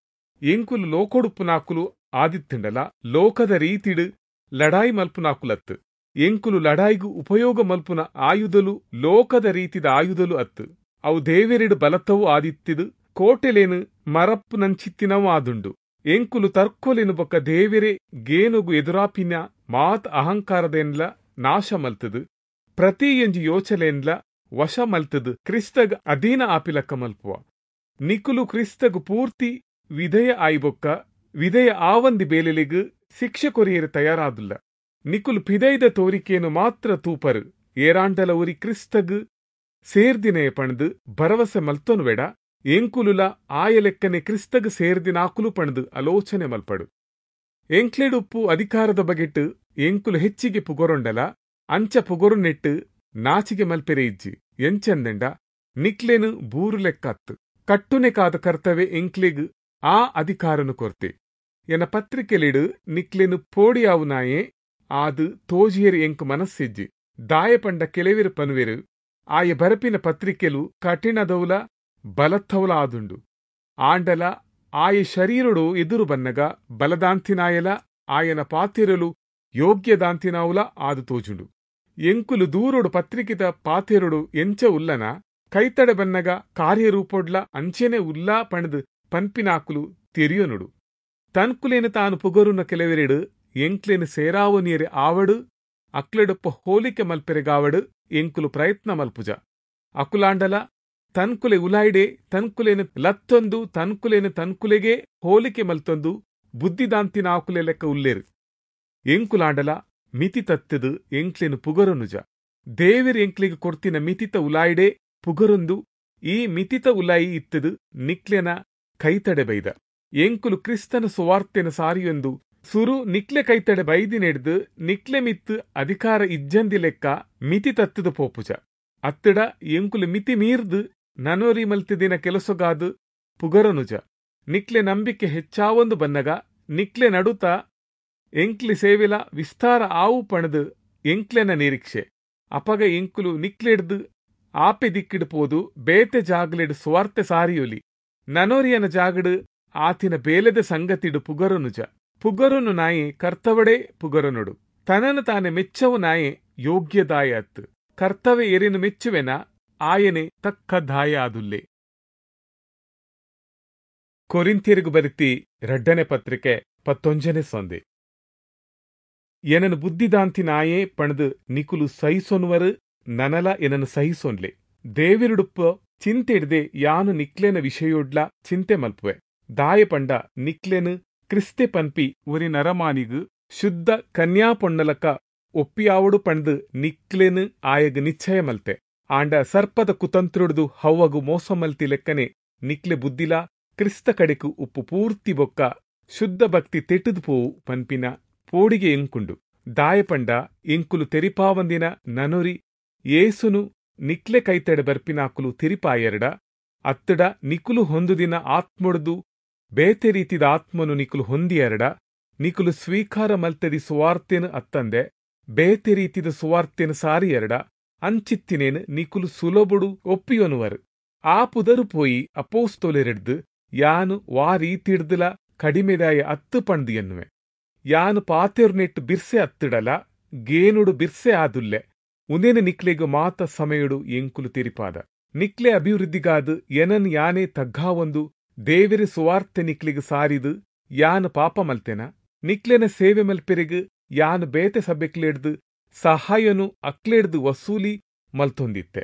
A: ಎಂಕುಲು ಲೋಕೊಡುಪ್ಪುನಾಕುಲು ಆದಿತ್ತುಂಡಲ ಲೋಕದ ರೀತಿಡು ಲಡಾಯಿ ಮಲ್ಪುನಾಕುಲತ್ತು. ಎಂಕುಲು ಲಡಾಯಿಗು ಉಪಯೋಗ ಮಲ್ಪುನ ಆಯುಧಲು ಲೋಕದ ರೀತಿದ ಆಯುಧಲು ಅತ್ತು. ಅವು ದೇವೆರೆಡು ಬಲತ್ತವು ಆದಿತ್ತಿದು ಕೋಟೆಲೇನು ಮರಪ್ಪುನಂಚಿತ್ತಿನವು ಆದುಂಡು. ಎಂಕುಲು ತರ್ಕೋಲೆನು ಬೊಕ್ಕ ದೇವೆರೆ ಗೇನುಗು ಎದುರಾಪಿನ ಮಾತ್ ಅಹಂಕಾರದೇನ್ಲ ನಾಶ ಮಲ್ತದು, ಪ್ರತಿ ಎಂಜಿ ಯೋಚಲೆನ್ಲ ವಶ ಮಲ್ತದು ಕ್ರಿಸ್ತಗ್ ಅಧೀನ ಆಪಿಲಕ್ಕ ಮಲ್ಪುವ. ನಿಕುಲು ಕ್ರಿಸ್ತಗ್ ಪೂರ್ತಿ ವಿಧೇಯ ಆಯಿಬೊಕ್ಕ ವಿಧೇಯ ಆವಂದಿ ಬೇಲೆಲಿಗ್ ಶಿಕ್ಷೆ ಕೊರಿಯರು ತಯಾರಾದುಲ್ಲ. ನಿಕುಲು ಪಿದೈದ ತೋರಿಕೆಯನ್ನು ಮಾತ್ರ ತೂಪರು. ಏರಾಂಡಲ ಉರಿ ಕ್ರಿಸ್ತಗ್ ಸೇರ್ದಿನೇ ಪಣದು ಭರವಸೆ ಮಲ್ತೊನುವೆಡ ಎಂಕುಲುಲ ಆಯ ಲೆಕ್ಕನೆ ಕ್ರಿಸ್ತಗ್ ಸೇರ್ದಿನಾಕುಲು ಪಣದು ಆಲೋಚನೆ ಮಲ್ಪಡು. ಎಂಕ್ಲೆಡುಪ್ಪು ಅಧಿಕಾರದ ಬಗೆಟ್ ಎಂಕುಲು ಹೆಚ್ಚಿಗೆ ಪುಗರೊಂಡಲ ಅಂಚ ಪುಗರುನೆಟ್ಟು ನಾಚಿಗೆ ಮಲ್ಪೆರೆ ಇಜ್ಜಿ. ಎಂಚಂದೆಂಡ ನಿಕ್ಲೆನು ಬೂರು ಲೆಕ್ಕತ್ತು ಕಟ್ಟುನೆಕಾದ ಕರ್ತವೆ ಎಂಕ್ಲೆಗ್ ಆ ಅಧಿಕಾರನು ಕೊರ್ತೆ. ಎನ ಪತ್ರಿಕೆಲಿಡು ನಿಕ್ಲೆನು ಪೋಡಿಯಾವುನಾಯೇ ಆದು ತೋಜಿಯರು ಎಂಕ್ ಮನಸ್ಸಿಜ್ಜಿ. ದಾಯ ಪಂಡ ಕೆಲೆವಿರು ಪನುವೆರು ಆಯ ಬರಪಿನ ಪತ್ರಿಕೆಲು ಕಠಿಣದೌಲ ಬಲತ್ತೌಲ ಆದುಂಡು. ಆಂಡಲ ಆಯ ಶರೀರುಡು ಎದುರು ಬನ್ನಗ ಬಲದಾಂತಿನಾಯಲ ಆಯನ ಪಾತಿರಲು ಯೋಗ್ಯದಾಂತಿನಾವುಲ ಆದು ತೋಜುಂಡು. ಎಂಕುಲು ದೂರುಡು ಪತ್ರಿಕೆದ ಪಾತೆರುಡು ಎಂಚ ಉಲ್ಲನ ಕೈತಡೆ ಬನ್ನಗ ಕಾರ್ಯರೂಪೊಡ್ಲ ಅಂಚೆನೆ ಉಲ್ಲಾ ಪಣದು ಪನ್ಪಿನಾಕುಲು ತೆರಿಯೊನುಡು. ತನ್ಕುಲೇನು ತಾನು ಪುಗರುನ ಕೆಲವೆರೆಡು ಎಂಕ್ಲೇನು ಸೇರಾವನಿಯರೆ ಆವಡು ಅಕ್ಲೆಡೊಪ್ಪ ಹೋಲಿಕೆ ಮಲ್ಪೆರೆಗಾವಡು ಎಂಕುಲು ಪ್ರಯತ್ನ ಮಲ್ಪುಜ. ಅಕುಲಾಂಡಲ ತನ್ಕುಲೆ ಉಲಾಯ್ಡೆ ತನ್ಕುಲೇನು ಲತ್ತೊಂದು ತನ್ಕುಲೇನು ತನ್ಕುಲೆಗೆ ಹೋಲಿಕೆ ಮಲ್ತೊಂದು ಬುದ್ಧಿದಾಂತಿನ ಆಕುಲೆ ಲೆಕ್ಕ ಉಲ್ಲೇರು. ಎಂಕುಲಾಂಡಲ ಮಿತಿ ತತ್ತದು ಎಂಕ್ಲೇನು ಪುಗರೊನುಜ. ದೇವಿರ್ ಎಂಕ್ಲೆಗ್ ಕೊರ್ತಿನ ಮಿತಿತ ಉಲಾಯ್ಡೆ ಪುಗರೊಂದು ಈ ಮಿತಿತ ಉಲಾಯಿ ಇತ್ತದು ನಿಕ್ಲೆನ ಕೈತಡೆ ಬೈದ. ಎಂಕುಲು ಕ್ರಿಸ್ತನ ಸುವಾರ್ತೆನ ಸಾರಿಯೊಂದು ಸುರು ನಿಕ್ಲೆ ಕೈತಡೆ ಬೈದಿನೆಡ್ದು ನಿಕ್ಲೆ ಮಿತ್ತು ಅಧಿಕಾರ ಇಜ್ಜಂದಿ ಲೆಕ್ಕ ಮಿತಿ ತತ್ತದು ಪೋಪುಜ. ಅತ್ತಡ ಎಂಕುಲು ಮಿತಿ ಮೀರ್ದು ನನೋರಿ ಮಲ್ತಿದಿನ ಕೆಲಸಗಾದು ಪುಗರನುಜ. ನಿಕ್ಲೆ ನಂಬಿಕೆ ಹೆಚ್ಚಾವೊಂದು ಬನ್ನಗ ನಿಕ್ಲೆ ನಡುತ ಎಂಕ್ಲಿ ಸೇವೆಲ ವಿಸ್ತಾರ ಆವು ಪಣದು ಎಂಕ್ಲೆನ ನಿರೀಕ್ಷೆ. ಅಪಗ ಎಂಕುಲು ನಿಕ್ಲೆಡ್ದು ಆಪೆ ದಿಕ್ಕಿಡು ಪೋದು ಬೇತೆ ಜಾಗಲೆಡು ಸ್ವಾರ್ಥ ಸಾರಿಯೊಲಿ. ನನೋರಿಯನ ಜಾಗಡು ಆತಿನ ಬೇಲೆದ ಸಂಗತಿಡು ಪುಗರನುಜ. ಪುಗರುನು ನಾಯೆ ಕರ್ತವಡೆ ಪುಗರನುಡು. ತನನು ತಾನೆ ಮೆಚ್ಚವು ನಾಯೆ ಯೋಗ್ಯದಾಯ ಅತ್ತು. ಕರ್ತವೆ ಎರಿನು ಮೆಚ್ಚುವೆನ ಆಯನೆ ತಕ್ಕ ದಾಯ ಆದುಲ್ಲೆ. ಕೊರಿಂಥ್ಯರಿಗು ಬರಿತಿ ರಡ್ಡನೆ ಪತ್ರಿಕೆ ಪತ್ತೊಂಜನೆ ಸಂದೆ. ಎನನು ಬುದ್ಧಿದಾಂತಿ ನಾಯೇ ಪಣದು ನಿಕುಲು ಸಹಿಸೊನ್ವರು ನನಲ ಎನನು ಸಹಿಸೊನ್ಲೆ. ದೇವಿರುಡುಪ್ಪ ಚಿಂತೆ ಹಿಡ್ದೆ ಯಾನು ನಿಕ್ಲೆನ ವಿಷಯೊಡ್ಲ ಚಿಂತೆ ಮಲ್ಪುವೆ. ದಾಯ ಪಂಡ ನಿಕ್ಲೆನು ಕ್ರಿಸ್ತೆ ಪನ್ಪಿ ಒರಿ ನರಮಾನಿಗು ಶುದ್ಧ ಕನ್ಯಾ ಪೊಣ್ಣಲಕ ಒಪ್ಪಿಯಾವಡು ಪಣ್ದು ನಿಕ್ಲೆನು ಆಯಗ್ ನಿಶ್ಚಯ ಮಲ್ತೆ. ಆಂಡ ಸರ್ಪದ ಕುತಂತ್ರುಡ್ದು ಹವ್ವಗು ಮೋಸ ಮಲ್ತಿ ಲೆಕ್ಕನೆ ನಿಕ್ಲೆ ಬುದ್ಧಿಲ ಕ್ರಿಸ್ತ ಕಡೆಕು ಉಪ್ಪು ಪೂರ್ತಿ ಬೊಕ್ಕ ಶುದ್ಧ ಭಕ್ತಿ ತೆಟ್ಟುದು ಪೋವು ಪನ್ಪಿನ ಪೋಡಿಗೆ ಎಂಕುಂಡು. ದಾಯ ಪಂಡ ಎಂಕುಲು ತೆರಿಪಾವಂದಿನ ನನೊರಿ ಏಸುನು ನಿಕ್ಲೆ ಕೈತಡೆ ಬರ್ಪಿನಾಕುಲು ತೆರಿಪಾಯೆರಡ ಅತ್ತಡ ನಿಕುಲು ಹೊಂದುದಿನ ಆತ್ಮೊಡ್ದು ಬೇತೆ ರೀತಿದ ಆತ್ಮನು ನಿಕುಲು ಹೊಂದಿಯರಡ ನಿಕುಲು ಸ್ವೀಕಾರ ಮಲ್ತದಿ ಸುವಾರ್ತೆನು ಅತ್ತಂದೆ ಬೇತೆ ರೀತಿದ ಸುವಾರ್ತೆನು ಸಾರಿಯರಡ ಅಂಚಿತ್ತಿನೇನು ನಿಕುಲು ಸುಲಭುಡು ಒಪ್ಪಿಯೊನುವರು. ಆ ಪುದರು ಪೋಯಿ ಅಪೋಸ್ತೋಲೆರೆಡ್ದು ಯಾನು ವಾ ರೀತಿಡ್ದುಲ ಕಡಿಮೆದಾಯ ಅತ್ತು ಪಣ್ದು ಎನ್ನುವೆ. ಯಾನು ಪಾತೆರ್ನೆಟ್ಟು ಬಿರ್ಸೆ ಅತ್ತಿಡಲ ಗೇನುಡು ಬಿರ್ಸೆ ಆದುಲ್ಲೆ. ಉಂದೇನು ನಿಕ್ಲೆಗು ಮಾತ ಸಮಯುಡು ಎಂಕುಲು ತೆರಿಪಾದ. ನಿಕ್ಲೆ ಅಭಿವೃದ್ಧಿಗಾದು ಎನನ್ ಯಾನೇ ತಗ್ಗಾವೊಂದು ದೇವೆರೆ ಸುವಾರ್ತೆ ನಿಕ್ಲೆಗ್ ಸಾರಿದು ಯಾನು ಪಾಪ ಮಲ್ತೆನ. ನಿಕ್ಲೆನ ಸೇವೆ ಮಲ್ಪೆರೆಗ್ ಯಾನು ಬೇತೆ ಸಭೆಕ್ಲೆಡ್ದು ಸಹಾಯನು ಅಕ್ಲೆಡ್ದು ವಸೂಲಿ ಮಲ್ತೊಂದಿತ್ತೆ.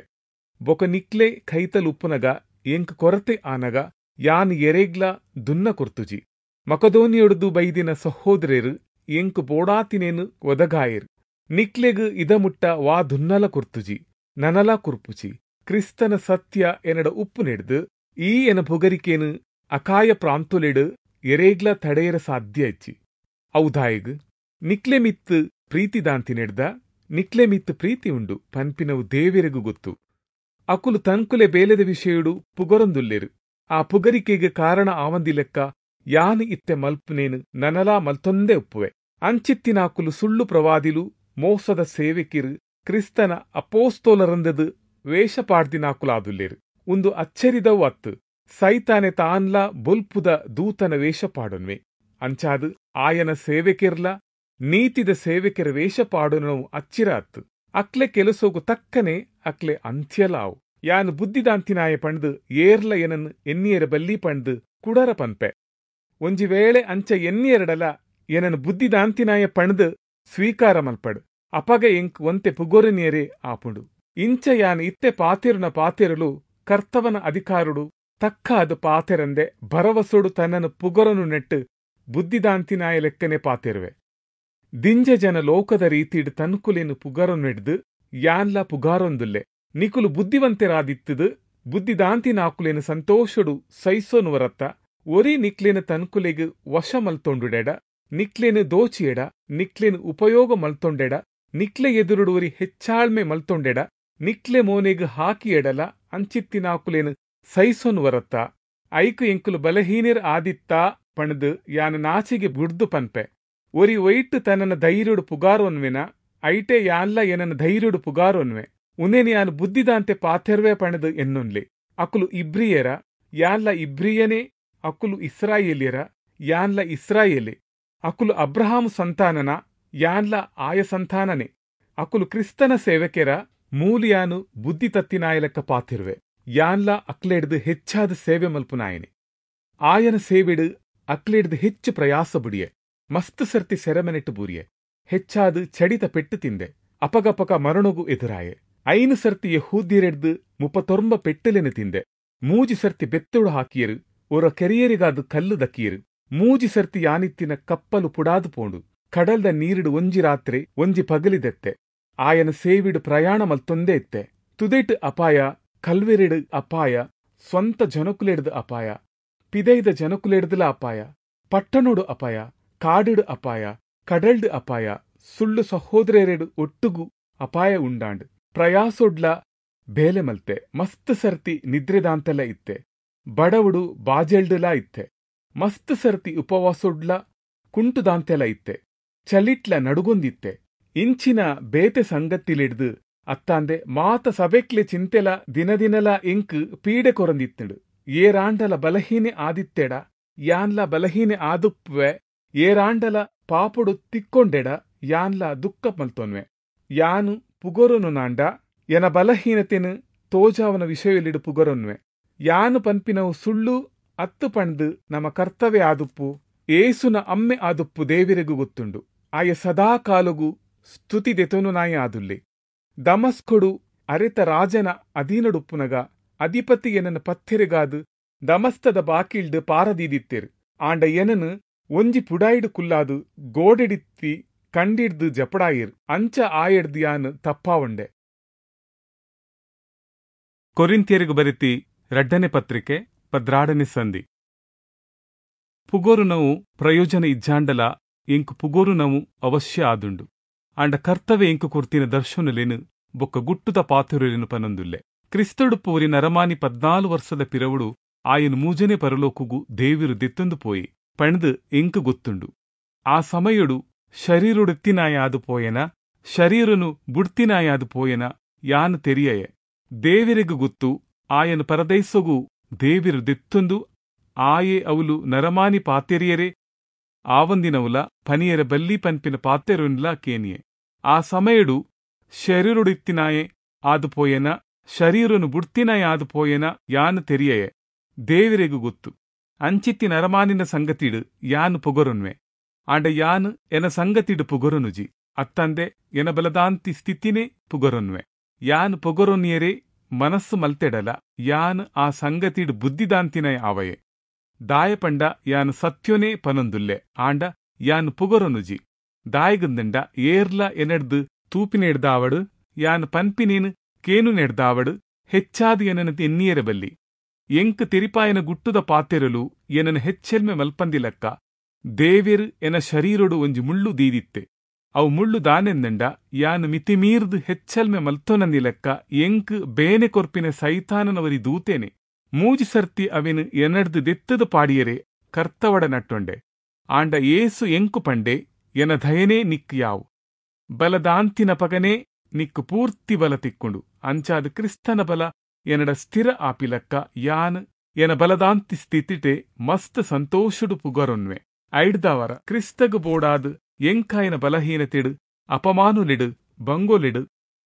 A: ಬೊಕ ನಿಕ್ಲೆ ಕೈತಲ್ ಉಪ್ಪುನಗ ಎಂಕ್ ಕೊರತೆ ಆನಗ ಯಾನ್ ಎರೆಗ್ಲ ದುನ್ನ ಕೊರ್ತುಜಿ. ಮಕದೋನಿಯೊಡ್ದು ಬೈದಿನ ಸಹೋದರರು ಎಂಕ್ ಬೋಡಾತಿನೇನು ಒದಗಾಯರು. ನಿಕ್ಲೆಗ್ ಇದಮುಟ್ಟ ವಾ ದುನ್ನಲ ಕೊರ್ತುಜಿ ನನಲ ಕುರ್ಪುಜಿ. ಕ್ರಿಸ್ತನ ಸತ್ಯ ಎನ್ನಡ ಉಪ್ಪು ನೆಡ್ದು ಈ ಎನ ಪುಗರಿಕೆನು ಅಕಾಯ ಪ್ರಾಂತೊಲೆಡ್ ಎರೇಗ್ಲ ತಡೆಯರ ಸಾಧ್ಯ ಇಚ್ಚಿ. ಔದಾಯಗ್ ನಿಕ್ಲೆ ಮಿತ್ತು ಪ್ರೀತಿದಾಂತಿನೆಡ್ದ ನಿಕ್ಲೆ ಮಿತ್ತು ಪ್ರೀತಿ ಉಂಡು ಪನ್ಪಿನವು ದೇವೆರೆಗು ಗೊತ್ತು. ಅಕುಲು ತನ್ಕುಲೆ ಬೇಲೆದ ವಿಷಯಡು ಪುಗರೊಂದುಲ್ಲೆರು. ಆ ಪುಗರಿಕೆಗೆ ಕಾರಣ ಆವಂದಿಲೆಕ್ಕ ಯಾನು ಇತ್ತೆ ಮಲ್ಪುನೇನು ನನಲಾ ಮಲ್ತೊಂದೇ ಉಪ್ಪುವೆ. ಅಂಚಿತ್ತಿನಾಕುಲು ಸುಳ್ಳು ಪ್ರವಾದಿಲು, ಮೋಸದ ಸೇವಕಿರು, ಕ್ರಿಸ್ತನ ಅಪೋಸ್ತೋಲರಂದದು ವೇಷ ಪಾಡ್ದಿನಾಕುಲಾದುಲ್ಲೆರು. ಉಂದು ಅಚ್ಚರಿದವು ಅತ್ತು. ಸೈತಾನೆ ತಾನ್ಲ ಬೊಲ್ಪುದ ದೂತನ ವೇಷ ಪಾಡೊನ್ವೆ. ಅಂಚಾದು ಆಯನ ಸೇವಕಿರ್ಲ ನೀತಿದ ಸೇವಕಿರ ವೇಷ ಪಾಡೊನವು ಅಚ್ಚಿರ ಅತ್ತು. ಅಕ್ಲೆ ಕೆಲಸೋಗು ತಕ್ಕನೆ ಅಕ್ಲೆ ಅಂತ್ಯಲಾವು. ಯಾನು ಬುದ್ಧಿದಾಂತಿನಾಯ ಪಂಡ್ದು ಏರ್ಲ ಎನನ್ ಎನ್ನಿಯರ ಬಲ್ಲಿ ಪಂಡ್ದು ಕುಡರ ಪನ್ಪೆ. ಒಂಜಿ ವೇಳೆ ಅಂಚ ಎನ್ನಿಯರಡಲ ಎನನ್ ಬುದ್ಧಿದಾಂತಿನಾಯ ಪಂಡ್ದು ಸ್ವೀಕಾರ ಮಲ್ಪಡು. ಅಪಗ ಎಂಕ್ ಒಂತೆ ಪುಗೊರನಿಯರೇ ಆಪುಂಡು. ಇಂಚ ಯಾನ್ ಇತ್ತೆ ಪಾತೆರುನ ಪಾತೆರಲು ಕರ್ತವನ ಅಧಿಕಾರುಡು ತಕ್ಕಾದ ಪಾತೆರಂದೆ ಭರವಸೊಡು ತನ್ನನ್ನು ಪುಗರನು ನೆಟ್ಟು ಬುದ್ಧಿದಾಂತಿನಾಯ ಲೆಕ್ಕನೆ ಪಾತೆರುವೆ. ದಿಂಜ ಜನ ಲೋಕದ ರೀತಿಡ್ ತನ್ಕುಲೇನು ಪುಗರೊನೆಡ್ದು ಯಾನ್ಲ ಪುಗಾರೊಂದುಲ್ಲೆ. ನಿಕುಲು ಬುದ್ಧಿವಂತರಾದಿತ್ತದು ಬುದ್ಧಿದಾಂತಿನಾಕುಲೇನು ಸಂತೋಷಡು ಸೈಸೋನುವರತ್ತ. ಒರಿ ನಿಕ್ಲೇನು ತನ್ಕುಲೆಗ್ ವಶ ಮಲ್ತೊಂಡುಡೆಡ, ನಿಕ್ಲೇನು ದೋಚಿಯೆಡ, ನಿಕ್ಲೇನು ಉಪಯೋಗ ಮಲ್ತೊಂಡೆಡ, ನಿಕ್ಲೆ ಎದುರುಡು ಒರಿ ಹೆಚ್ಚಾಳ್ಮೆ ಮಲ್ತೊಂಡೆಡ, ನಿಕ್ಲೆ ಮೋನೆಗ್ ಹಾಕಿಯೆಡಲ ಅಂಚಿತ್ತಿನಾಕುಲೇನು ಸೈಸೊನುವರತ್ತ. ಐಕು ಎಂಕುಲು ಬಲಹೀನರ್ ಆದಿತ್ತಾ ಪಣದು ಯಾನು ನಾಚಿಗೆ ಬುಡ್ದು ಪನ್ಪೆ. ಒರಿ ಒಯ್ಟ್ ತನ್ನನ ಧೈರ್ಯಡು ಪುಗಾರೊನ್ವೆನ ಐಟೆ ಯಾನ್ಲ ಎನನ ಧೈರ್ಯಡು ಪುಗಾರೊನ್ವೆ. ಉನೇನು ಯಾನು ಬುದ್ಧಿದಾಂತೆ ಪಾತೆರ್ವೆ ಪಣದು ಎನ್ನೊನ್ಲೆ. ಅಕುಲು ಇಬ್ರಿಯರ, ಯಾನ್ಲ ಇಬ್ರಿಯನೇ. ಅಕುಲು ಇಸ್ರಾಯೇಲಿಯರ, ಯಾನ್ಲ ಇಸ್ರಾಯೇಲೆ. ಅಕುಲು ಅಬ್ರಹಾಂ ಸಂತಾನನ, ಯಾನ್ಲ ಆಯ ಸಂತಾನನೆ. ಅಕುಲು ಕ್ರಿಸ್ತನ ಸೇವಕೆರ, ಮೂಲಿಯಾನು ಬುದ್ಧಿ ತತ್ತಿನಾಯಲೆಕ್ಕ ಪಾತಿರುವೆ. ಯಾನ್ಲ ಅಕ್ಲೆಡ್ದು ಹೆಚ್ಚಾದ ಸೇವೆ ಮಲ್ಪುನಾಯನೆ. ಆಯನ ಸೇವೆಡು ಅಕ್ಲೆಡ್ದು ಹೆಚ್ಚು ಪ್ರಯಾಸ ಬುಡಿಯೆ. ಮಸ್ತ್ ಸರ್ತಿ ಸೆರೆಮನೆಟ್ಟು ಬೂರಿಯೆ. ಹೆಚ್ಚಾದ ಚಡಿತ ಪೆಟ್ಟು ತಿಂದೆ. ಅಪಗಪಕ ಮರಣಗು ಎದುರಾಯೆ. ಐನು ಸರ್ತಿ ಯಹೂದ್ಯರೆಡ್ದು ಮುಪ್ಪತ್ತೊಂಬ ಪೆಟ್ಟಲೆನು ತಿಂದೆ. ಮೂಜಿ ಸರ್ತಿ ಬೆತ್ತೊಡು ಹಾಕಿಯರು. ಒರ ಕೆರಿಯರಿಗಾದ ಕಲ್ಲು ದಕ್ಕಿಯರು. ಮೂಜಿ ಸರ್ತಿ ಯಾನಿತ್ತಿನ ಕಪ್ಪಲು ಪುಡಾದು ಪೋಂಡು. ಕಡಲ್ದ ನೀರಿಡು ಒಂಜಿ ರಾತ್ರಿ ಒಂಜಿ ಪಗಲಿದೆತ್ತೆ. ಆಯನ ಸೇವಿಡು ಪ್ರಯಾಣ ಮಲ್ತೊಂದೇ ಇತ್ತೆ. ತುದೆಟ್ ಅಪಾಯ, ಕಲ್ವೆರೆಡು ಅಪಾಯ, ಸ್ವಂತ ಜನಕುಲೆಡ್ದು ಅಪಾಯ, ಪಿದೈದ ಜನಕುಲೆಡ್ದುಲ ಅಪಾಯ, ಪಟ್ಟಣೋಡು ಅಪಾಯ, ಕಾಡುಡು ಅಪಾಯ, ಕಡಲ್ಡು ಅಪಾಯ, ಸುಳ್ಳು ಸಹೋದರರೆಡು ಒಟ್ಟುಗು ಅಪಾಯ ಉಂಡಾಂಡ್. ಪ್ರಯಾಸೊಡ್ಲ ಬೇಲೆ ಮಲ್ತೆ. ಮಸ್ತ್ ಸರ್ತಿ ನಿದ್ರೆದಾಂತೆಲ ಇತ್ತೆ. ಬಡವುಡು ಬಾಜೆಲ್ಡುಲಾ ಇತ್ತೆ. ಮಸ್ತ್ ಸರ್ತಿ ಉಪವಾಸೊಡ್ಲ ಕುಂಟುದಾಂತೆಲ ಇತ್ತೆ. ಚಲಿಟ್ಲ ನಡುಗೊಂದಿತ್ತೆ. ಇಂಚಿನ ಬೇತೆ ಸಂಗತಿಲಿಡ್ದು ಅತ್ತಾಂದೆ ಮಾತ ಸಬೆಕ್ಲೆ ಚಿಂತೆಲ ದಿನದಿನಲ ಎಂಕ್ ಪೀಡೆ ಕೊರಂದಿತ್ತಂಡು. ಏರಾಂಡಲ ಬಲಹೀನೆ ಆದಿತ್ತೆಡ ಯಾನ್ಲ ಬಲಹೀನೆ ಆದುಪ್ಪುವೆ. ಏರಾಂಡಲ ಪಾಪುಡು ತಿಕ್ಕೊಂಡೆಡ ಯಾನ್ಲ ದುಃಖ ಮಲ್ತೊನ್ವೆ. ಯಾನು ಪುಗೊರನು ನಾಂಡ ಎನ ಬಲಹೀನತೆನು ತೋಜಾವನ ವಿಷಯಲಿಡು ಪುಗರೊನ್ವೆ. ಯಾನು ಪನ್ಪಿನವು ಸುಳ್ಳು ಅತ್ತು ಪಂಡ್ದು ನಮ್ಮ ಕರ್ತವ್ಯ ಆದುಪ್ಪು ಏಸುನ ಅಮ್ಮೆ ಆದುಪ್ಪು ದೇವಿರೆಗು ಗೊತ್ತುಂಡು. ಆಯ ಸದಾ ಕಾಲುಗು ಸ್ತುತಿ ದೆತೊನು ನಾಯಿ ಆದುಲ್ಲೆ. ದಮಸ್ಕೊಡು ಅರೆತ ರಾಜನ ಅಧೀನಡುಪ್ಪುನಗ ಅಧಿಪತಿ ಎನನ ಪತ್ತೆರೆಗಾದು ದಮಸ್ತದ ಬಾಕಿಲ್ಡು ಪಾರದೀದಿತ್ತೇರು. ಆಂಡ ಎನನು ಒಂಜಿ ಪುಡಾಯಿಡು ಕುಲ್ಲಾದು ಗೋಡೆಡಿತ್ತಿ ಕಂಡಿಡ್ದು ಜಪಡಾಯಿರ್. ಅಂಚ ಆಯೆಡ್ದು ಯಾನು ತಪ್ಪಾವಂಡೆ. ಕೊರಿಂಥಿಯರಿಗೆ ಬರೆತಿ ರಡ್ಡನೆ ಪತ್ರಿಕೆ ಪದ್ರಾಡನೆ ಸಂಧಿ. ಪುಗೋರುನವು ಪ್ರಯೋಜನ ಇಜ್ಜಾಂಡಲ ಎಂಕು ಪುಗೋರುನವು ಅವಶ್ಯ ಆದುಂಡು. ಆಂಡ ಕರ್ತವ್ಯ ಎಂಕು ಕೊರ್ತಿನ ದರ್ಶನಲೇನು ಬೊಕ್ಕ ಗುಟ್ಟುದ ಪಾತುರಲೇನು ಪನೊಂದುಲ್ಲೆ. ಕ್ರಿಸ್ತಡುಪ್ಪುವರಿ ನರಮಾನಿ ಪದ್ನಾಲು ವರ್ಷದ ಪಿರವುಡು ಆಯನು ಮೂಜನೆ ಪರಲೋಕುಗು ದೇವಿರು ದೆತ್ತೊಂದು ಪೋಯಿ ಪಣ್ದು ಎಂಕು ಗೊತ್ತುಂಡು. ಆ ಸಮಯಡು ಶರೀರುಡೆತ್ತಿನಾಯಾದು ಪೋಯೆನ, ಶರೀರನು ಬುಡ್ತಿನಾಯಾದು ಪೋಯೆನ ಯಾನು ತೆರಿಯಯೆ. ದೇವಿರಿಗು ಗೊತ್ತು ಆಯನು ಪರದೈಸೊಗು ದೇವಿರು ದೆತ್ತೊಂದು ಆಯೆ ಅವಲು ನರಮಾನಿ ಪಾತೆರಿಯರೆ ಆವಂದಿನವುಲ ಪನಿಯರ ಬಲ್ಲಿ ಪನ್ಪಿನ ಪಾತೆರುನ್ಲ ಕೇನಿಯೆ. ಆ ಸಮಯಡು ಶರೀರುಡಿತ್ತಿನಾಯೆ ಆದು ಪೋಯೆನ, ಶರೀರನು ಬುಡ್ತಿನಾಯ ಆದು ಪೋಯೆನ ಯಾನು ತೆರಿಯಯೆ. ದೇವಿರಿಗು ಗೊತ್ತು. ಅಂಚಿತ್ತಿ ನರಮಾನಿನ ಸಂಗತಿಡು ಯಾನು ಪೊಗರೊನ್ವೆ. ಆಂಡ ಯಾನು ಎನ ಸಂಗತಿಡು ಪುಗರೊನುಜಿ, ಅತ್ತಂದೆ ಎನ ಬಲದಾಂತಿ ಸ್ಥಿತಿನೇ ಪುಗರೊನ್ವೆ. ಯಾನು ಪೊಗರೊನಿಯರೇ ಮನಸ್ಸು ಮಲ್ತೆಡಲ ಯಾನು ಆ ಸಂಗತಿಡು ಬುದ್ಧಿದಾಂತಿನ ಆವಯೆ. ದಾಯಪಂಡ ಯಾನು ಸತ್ಯೋನೇ ಪನೊಂದುಲ್ಲೆ, ಆಂಡ ಯಾನು ಪುಗರೊನುಜಿ. ದಾಯಗಂದಂಡ ಏರ್ಲ ಎನೆಡ್ದು ತೂಪಿನೆಡ್ದಾವಡು, ಯಾನು ಪನ್ಪಿನೇನು ಕೇನು ನೆಡ್ದಾವಡು, ಹೆಚ್ಚಾದ ಎನನ ಎನ್ನಿಯರ ಬಲ್ಲಿ. ಎಂಕ್ ತೆರಿಪಾಯನ ಗುಟ್ಟುದ ಪಾತೆರಲು ಎನನ್ ಹೆಚ್ಚೆಲ್ಮೆ ಮಲ್ಪಂದಿಲಕ್ಕ ದೇವೆರ್ ಎನ ಶರೀರೊಡು ಒಂಜಿ ಮುಳ್ಳು ದೀದಿತ್ತೆ. ಅವು ಮುಳ್ಳು ದಾನೆಂದಂಡ ಯಾನ್ ಮಿತಿಮೀರ್ದ್ ಹೆಚ್ಚಲ್ಮೆ ಮಲ್ತೊನಂದಿಲಕ್ಕ ಎಂಕ್ ಬೇನೆ ಕೊರ್ಪಿನ ಸೈತಾನನವರಿ ದೂತೇನೆ. ಮೂಜಿ ಸರ್ತಿ ಅವೆನ್ ಎನಡ್ದ್ ದೆತ್ತದ ಪಾಡಿಯರೆ ಕರ್ತವಡ ನಟ್ಟೊಂಡೆ. ಆಂಡ ಯೇಸು ಎಂಕು ಪಂಡೆ, ಎನ ದಯನೇ ನಿಕ್ಕ್ ಯಾವು, ಬಲದಾಂತಿನಪಗನೇ ನಿಕ್ಕ್ ಪೂರ್ತಿ ಬಲ ತಿಕ್ಕುಂಡು. ಅಂಚಾದ್ ಕ್ರಿಸ್ತನ ಬಲ ಎನಡ ಸ್ಥಿರ ಆಪಿಲಕ್ಕ ಯಾನ್ ಎನ ಬಲದಾಂತಿ ಸ್ಥಿತಿಟೆ ಮಸ್ತ್ ಸಂತೋಷಡು ಪುಗರೊನ್ವೆ. ಐಡ್ದಾವರ ಕ್ರಿಸ್ತಗ್ ಬೋಡಾದ್ ಎಂಕಾಯನ ಬಲಹೀನತೆಡು ಅಪಮಾನುಲೆಡು ಬಂಗೋಲೆಡು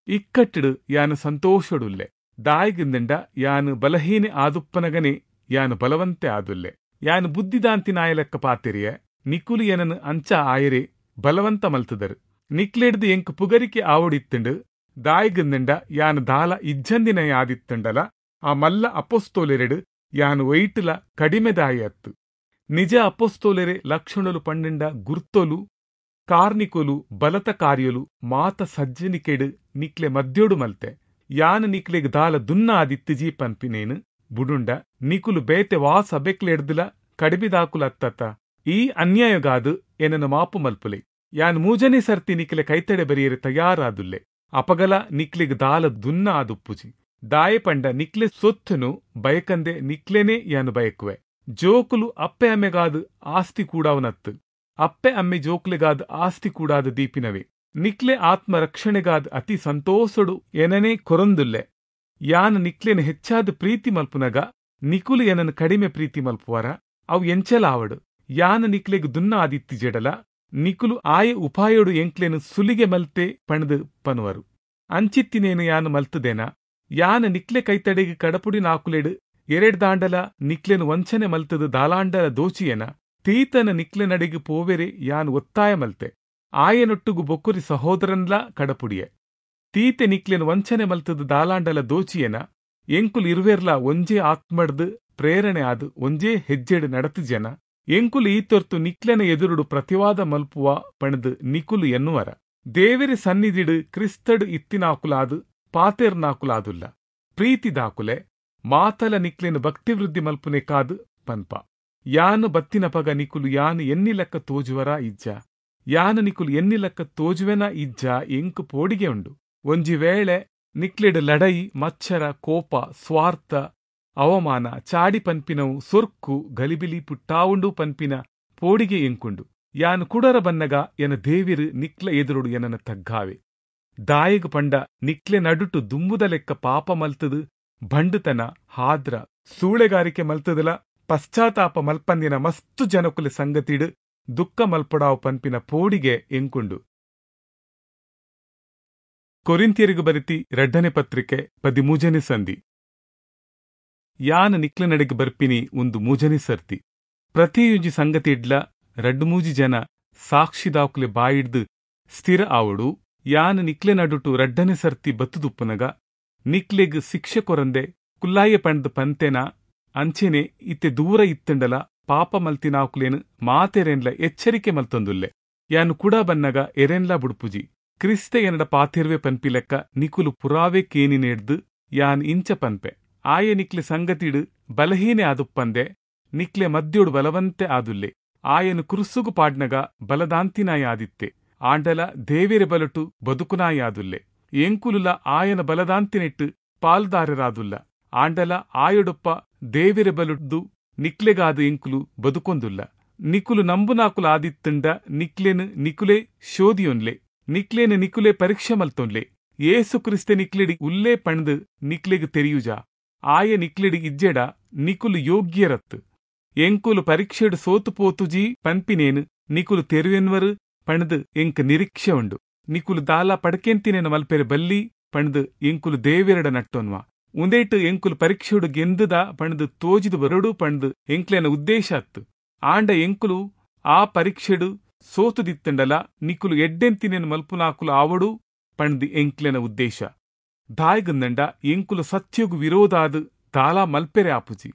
A: ಇಕ್ಕಟ್ಟಿಡು ಯಾನ್ ಸಂತೋಷಡುಲ್ಲೆ. ದಾಯಿಗಿಂದಂಡ ಯಾನ್ ಬಲಹೀನೆ ಆದುಪ್ಪನಗನೆ ಯಾನ್ ಬಲವಂತೆ ಆದುಲ್ಲೆ. ಯಾನ್ ಬುದ್ಧಿದಾಂತಿನಾಯಲೆಕ್ಕ ಪಾತೆರಿಯೆ, ನಿಕುಲು ಎನನ್ ಅಂಚ ಆಯರೆ ಬಲವಂತ ಮಲ್ತದರು. ನಿಕ್ಲೆಡ್ದು ಎಂಕ್ ಪುಗರಿಕೆ ಆವೊಡಿತ್ತುಂಡು. ದಾಯಿಗಿಂದಂಡ ಯಾನ್ ದಾಲ ಇಜ್ಜಂದಿನ ಆದಿತ್ತುಂಡಲ ಆ ಮಲ್ಲ ಅಪೊಸ್ತೋಲೆರೆಡು ಯಾನ್ ಒಯ್ಟುಲ ಕಡಿಮೆದಾಯಿ ಅತ್ತು. ನಿಜ ಅಪೊಸ್ತೋಲೆರೆ ಲಕ್ಷಣಲು ಪಂಡಂಡ ಗುರ್ತೊಲು ಕಾರ್ನಿಕೊಲು ಬಲತ ಕಾರ್ಯಲು ಮಾತ ಸಜ್ಜನಿಕೆಡು ನಿಕ್ಲೆ ಮದ್ಯೋಡು ಮಲ್ತೆ. ಯಾನ್ ನಿಕ್ಲೆಗ್ ದಾಲ ದುನ್ನ ಆದಿತ್ತಿಜಿ ಪನ್ಪಿನೇನು ಬುಡುಂಡ ನಿಕುಲು ಬೇತೆ ವಾ ಸಬೆಕ್ಲೆಡ್ದುಲ ಕಡಿಮೆದಾಕುಲ ಅತ್ತತ್ತ. ಈ ಅನ್ಯಾಯಗಾದು ಎನನ ಮಾಪು ಮಲ್ಪುಲೆ. ಯಾನ್ ಮೂಜನೇ ಸರ್ತಿ ನಿಕ್ಲೆ ಕೈತಡೆ ಬರಿಯರೆ ತಯಾರಾದುಲ್ಲೆ. ಅಪಗಲ ನಿಕ್ಲೆಗ್ ದಾಲ ದುನ್ನ ಆದುಪ್ಪುಜಿ. ದಾಯೆ ಪಂಡ ನಿಕ್ಲೆ ಸೊತ್ತುನು ಬಯಕಂದೆ ನಿಕ್ಲೆನೇ ಯಾನು ಬಯಕುವೆ. ಜೋಕುಲು ಅಪ್ಪೆ ಅಮ್ಮೆಗಾದ್ ಆಸ್ತಿ ಕೂಡಾವನತ್ತು, ಅಪ್ಪೆ ಅಮ್ಮೆ ಜೋಕ್ಲೆಗಾದ್ ಆಸ್ತಿ ಕೂಡಾದ ದೀಪಿನವೇ. ನಿಕ್ಲೆ ಆತ್ಮ ರಕ್ಷಣೆಗಾದ್ ಅತಿ ಸಂತೋಷಡು ಎನನೇ ಕೊರೊಂದುಲ್ಲೆ. ಯಾನ್ ನಿಕ್ಲೆನ ಹೆಚ್ಚಾದ ಪ್ರೀತಿ ಮಲ್ಪುನಗ ನಿಕುಲು ಎನನ್ ಕಡಿಮೆ ಪ್ರೀತಿ ಮಲ್ಪುವರ? ಅವು ಎಂಚಲ ಆವಡು. ಯಾನ್ ನಿಕ್ಲೆಗ್ ದುನ್ನ ಆದಿತ್ತಿ ಜಡಲ ನಿಕುಲು ಆಯ ಉಪಾಯೋಡು ಎಂಕ್ಲೆನು ಸುಲಿಗೆ ಮಲ್ತೆ ಪಣದು ಪನುವರು. ಅಂಚಿತ್ತಿನೇನು ಯಾನು ಮಲ್ತದೇನ? ಯಾನ್ ನಿಕ್ಲೆ ಕೈತಡೆಗೆ ಕಡಪುಡಿ ನಾಕುಲೆಡು ಎರೆಡ್ದಾಂಡಲ ನಿಕ್ಲೆನು ವಂಚನೆ ಮಲ್ತದು ದಾಲಾಂಡಲ ದೋಚಿಯೇನ? ತೀತನ ನಿಕ್ಲೆ ನಡೆಗೆ ಪೋವೆರೆ ಯಾನ್ ಒತ್ತಾಯ ಮಲ್ತೆ. ಆಯನೊಟ್ಟುಗು ಬೊಕ್ಕುರಿ ಸಹೋದರನ್ಲಾ ಕಡಪುಡಿಯೆ. ತೀತೆ ನಿಕ್ಲೆನು ವಂಚನೆ ಮಲ್ತದು ದಾಲಾಂಡಲ ದೋಚಿಯೇನ? ಎಂಕುಲು ಇರುವೆರ್ಲಾ ಒಂಜೇ ಆತ್ಮಡ್ದು ಪ್ರೇರಣೆ ಆದು ಒಂಜೇ ಹೆಜ್ಜೆಡು ನಡತು ಜನ. ಎಂಕುಲು ಈತೊರ್ತು ನಿಕ್ಲೆನ ಎದುರುಡು ಪ್ರತಿವಾದ ಮಲ್ಪುವ ಪಣದು ನಿಕುಲು ಎನ್ನುವರ. ದೇವೆರೆ ಸನ್ನಿಧಿಡು ಕ್ರಿಸ್ತಡು ಇತ್ತಿನಾಕುಲಾದು ಪಾತೆರ್ನಾಕುಲಾದುಲ್ಲ. ಪ್ರೀತಿದಾಕುಲೆ ಮಾತಲ ನಿಕ್ಲೆನ ಭಕ್ತಿವೃದ್ಧಿ ಮಲ್ಪುನೆ ಕಾದು ಪನ್ಪ. ಯಾನು ಬತ್ತಿನಪಗ ನಿಕುಲು ಯಾನು ಎನ್ನಿ ಲೆಕ್ಕ ತೋಜುವರ ಇಜ್ಜ? ಯಾನು ನಿಕುಲು ಎನ್ನಿ ಲೆಕ್ಕ ತೋಜುವೆನ ಇಜ್ಜ? ಎಂಕು ಪೋಡಿಗೆ ಉಂಡು. ಒಂಜಿ ವೇಳೆ ನಿಕ್ಲೆಡು ಲಡೈ, ಮಚ್ಚರ, ಕೋಪ, ಸ್ವಾರ್ಥ, ಅವಮಾನ, ಚಾಡಿ ಪನ್ಪಿನವು, ಸೊರ್ಕು, ಗಲಿಬಿಲಿ ಪುಟ್ಟಾವುಂಡು ಪನ್ಪಿನ ಪೋಡಿಗೆ ಎಂಕುಂಡು. ಯಾನು ಕುಡರ ಬನ್ನಗ ಎನ ದೇವಿರು ನಿಕ್ಲ ಎದುರುಡು ಎನನ ತಗ್ಗಾವೆ. ದಾಯಗ್ ಪಂಡ ನಿಕ್ಲೆ ನಡುಟು ದುಂಬುದ ಲೆಕ್ಕ ಪಾಪ ಮಲ್ತದು ಬಂಡುತನ, ಹಾದ್ರ, ಸೂಳೆಗಾರಿಕೆ ಮಲ್ತದಲ ಪಶ್ಚಾತ್ತಾಪ ಮಲ್ಪಂದಿನ ಮಸ್ತು ಜನಕುಲೆ ಸಂಗತಿಡು ದುಃಖ ಮಲ್ಪಡಾವು ಪನ್ಪಿನ ಪೋಡಿಗೆ ಎಂಕುಂಡು. ಕೊರಿಂತಿಯರಿಗು ಬರಿತಿ ರಡ್ಡನೆ ಪತ್ರಿಕೆ ಪದಿಮೂಜನೆ ಸಂಧಿ. ಯಾನ್ ನಿಕ್ಲೆ ನಡೆಗೆ ಬರ್ಪಿನಿ ಒಂದು ಮೂಜನೆ ಸರ್ತಿ. ಪ್ರತಿಯೊಂಜಿ ಸಂಗತಿ ಇಡ್ಲ ರಡ್ಡು ಮೂಜಿ ಜನ ಸಾಕ್ಷಿದಾಕುಲೆ ಬಾಯಿಡ್ದು ಸ್ಥಿರ ಆವಡು. ಯಾನ್ ನಿಕ್ಲೆ ನಡುಟು ರಡ್ಡನೆ ಸರ್ತಿ ಬತ್ತುದುಪ್ಪುನಗ ನಿಕ್ಲೆಗ್ ಶಿಕ್ಷೆ ಕೊರಂದೆ ಕುಲ್ಲಾಯ ಪಂಡ್ದು ಪಂತೆನ ಅಂಚೆನೆ ಇತ್ತೆ ದೂರ ಇತ್ತಂಡಲ ಪಾಪ ಮಲ್ತಿನಾಕುಲೇನು ಮಾತೆರೆನ್ಲ ಎಚ್ಚರಿಕೆ ಮಲ್ತೊಂದುಲ್ಲೆ. ಯಾನು ಕೂಡ ಬನ್ನಗ ಎರೆನ್ಲ ಬುಡ್ಪುಜಿ. ಕ್ರಿಸ್ತೆ ಎನ್ನಡ ಪಾತಿರ್ವೆ ಪನ್ಪಿಲೆಕ್ಕ ನಿಕುಲು ಪುರಾವೆ ಕೇನಿನೇಡ್ದು ಯಾನ್ ಇಂಚ ಪನ್ಪೆ. ಆಯ ನಿಕ್ಲೆ ಸಂಗತಿಡು ಬಲಹೀನೆ ಆದುಪ್ಪಂದೆ ನಿಕ್ಲೆ ಮದ್ಯೋಡು ಬಲವಂತೆ ಆದುಲ್ಲೆ. ಆಯನು ಕುರುಸುಗು ಪಾಡ್ನಗ ಬಲದಾಂತಿನಾಯ ಆದಿತ್ತೆ. ಆಂಡಲ ದೇವೆರೆ ಬಲಟು ಬದುಕುನಾಯಾದುಲ್ಲೆ. ಎಂಕುಲುಲ ಆಯನ ಬಲದಾಂತಿನೆಟ್ಟು ಪಾಲ್ದಾರರಾದುಲ್ಲ. ಆಂಡಲ ಆಯೊಡೊಪ್ಪ ದೇವೆರೆ ಬಲುಡ್ದು ನಿಕ್ಲೆಗಾದ ಎಂಕುಲು ಬದುಕೊಂದುಲ್ಲ. ನಿಕುಲು ನಂಬುನಾಕುಲು ಆದಿತ್ತಂಡ ನಿಕ್ಲೆನು ನಿಕುಲೆ ಶೋಧಿಯೊನ್ಲೆ, ನಿಕ್ಲೇನು ನಿಕುಲೆ ಪರೀಕ್ಷೆ ಮಲ್ತೊನ್ಲೆ. ಏಸು ಕ್ರಿಸ್ತೆ ನಿಕ್ಲೆಡಿ ಉಲ್ಲೇ ಪಣ್ದು ನಿಕ್ಲೆಗ್ ತೆರಿಯುಜ. ಆಯ ನಿಕ್ಲೆಡಿ ಇಜ್ಜೆಡ ನಿಕುಲು ಯೋಗ್ಯರತ್ತು. ಎಂಕುಲು ಪರೀಕ್ಷೆಡು ಸೋತು ಪೋತುಜಿ ಪನ್ಪಿನೇನು ನಿಕುಲು ತೆರುವೆನ್ವರು ಪಣ್ದು ಎಂಕ್ ನಿರೀಕ್ಷೆ ಉಂಡು. ನಿಕುಲು ದಾಲ ಪಡ್ಕೆಂತಿನೇನು ಮಲ್ಪೆರೆ ಬಲ್ಲಿ ಪಣ್ದು ಎಂಕುಲು ದೇವೆರಡ ನಟ್ಟೊನ್ವ. ಉಂದೇಟು ಎಂಕುಲು ಪರೀಕ್ಷೆಡು ಗೆಂದುದ ಪಣ್ದು ತೋಜಿದು ಬರಡು ಪಣ್ದು ಎಂಕ್ಲೆನ ಉದ್ದೇಶ ಅತ್ತು. ಆಂಡ ಎಂಕುಲು ಆ ಪರೀಕ್ಷೆಡು ಸೋತುದಿತ್ತಂಡಲ ನಿಕುಲು ಎಡ್ಡೆಂತಿನೇನು ಮಲ್ಪುನಾಕುಲು ಆವಡು ಪಣ್ದು ಎಂಕ್ಲೆನ ಉದ್ದೇಶ. ದಾಯ್ಗಂದಂಡ ಎಂಕುಲು ಸತ್ಯಗು ವಿರೋಧಾದು ದಾಲ ಮಲ್ಪೆರೆ ಆಪುಜಿ.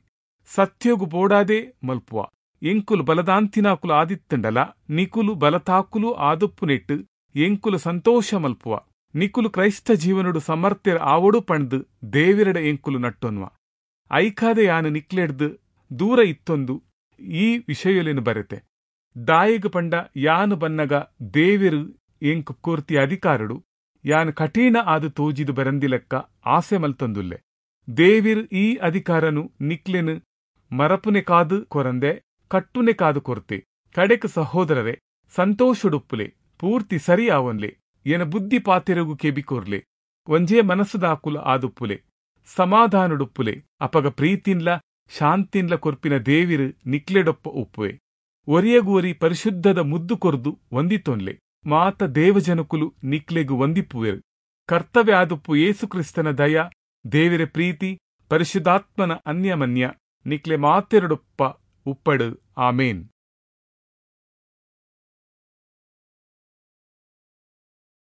A: ಸತ್ಯಗು ಬೋಡಾದೆ ಮಲ್ಪುವ. ಎಂಕುಲು ಬಲದಾಂತಿನಾಕುಲು ಆದಿತ್ತಂಡಲ ನಿಕುಲು ಬಲತಾಕುಲು ಆದುಪ್ಪುನೆಟ್ಟು ಎಂಕುಲು ಸಂತೋಷ ಮಲ್ಪುವ. ನಿಕುಲು ಕ್ರೈಸ್ತ ಜೀವನಡು ಸಮರ್ಥ್ಯರ ಆವಡು ಪಣ್ದು ದೇವಿರಡ ಎಂಕುಲು ನಟ್ಟೊನ್ವ. ಐಕಾದೆ ಯಾನ್ ನಿಕ್ಲೆಡ್ದ್ ದೂರ ಇತ್ತೊಂದು ಈ ವಿಷಯೊಲೆನ್ ಬರೆತೆ. ದಾಯೆಗ್ ಪಂಡ ಯಾನ್ ಬನ್ನಗ ದೇವೆರ್ ಎಂಕ್ ಕೊರ್ತಿ ಅಧಿಕಾರೊಡು ಯಾನ್ ಕಠಿಣ ಆದ್ ತೋಜಿದ್ ಬರಂದಿಲೆಕ್ಕ ಆಸೆ ಮಲ್ತೊಂದುಲ್ಲೆ. ದೇವೆರ್ ಈ ಅಧಿಕಾರನ್ ನಿಕ್ಲೆನ್ ಮರಪುನೆಕಾದ್ ಕೊರಂದೆ ಕಟ್ಟುನೆಕಾದ್ ಕೊರ್ತೆ. ಕಡೆಕ್ಕ್ ಸಹೋದ್ರೆರೇ, ಸಂತೋಷೊಡುಪ್ಪುಲೆ, ಪೂರ್ತಿ ಸರಿ ಆವೊನ್ಲೆ, ಎನ ಬುದ್ಧಿ ಪಾತೆರೊಗು ಕೆಬಿ ಕೊರ್ಲೆ, ಒಂಜೇ ಮನಸ್ದಾಕುಲು ಆದುಪ್ಪುಲೆ, ಸಮಾಧಾನೊಡುಪ್ಪುಲೆ. ಅಪಗ ಪ್ರೀತಿನ್ಲಾ ಶಾಂತಿನ್ಲಾ ಕೊರ್ಪಿನ ದೇವೆರ್ ನಿಕ್ಲೆಡೊಪ್ಪ ಉಪ್ಪುವೆ. ಒರಿಯಗ್ ಒರಿ ಪರಿಶುದ್ಧದ ಮುದ್ದು ಕೊರ್ದು ವಂದಿತೊನ್ಲೆ. ಮಾತ ದೇವಜನೊಕುಲು ನಿಕ್ಲೆಗ್ ವಂದಿಪುವೆರ್. ಕರ್ತವೆ ಆದುಪ್ಪು ಯೇಸು ಕ್ರಿಸ್ತನ ದಯ, ದೇವೆರೆ ಪ್ರೀತಿ, ಪರಿಶುದ್ಧಾತ್ಮನ ಅನ್ಯಮನ್ಯ ನಿಕ್ಲೆ ಮಾತೆರೆಡೊಪ್ಪ ಉಪ್ಪಡ್. ಆಮೆನ್.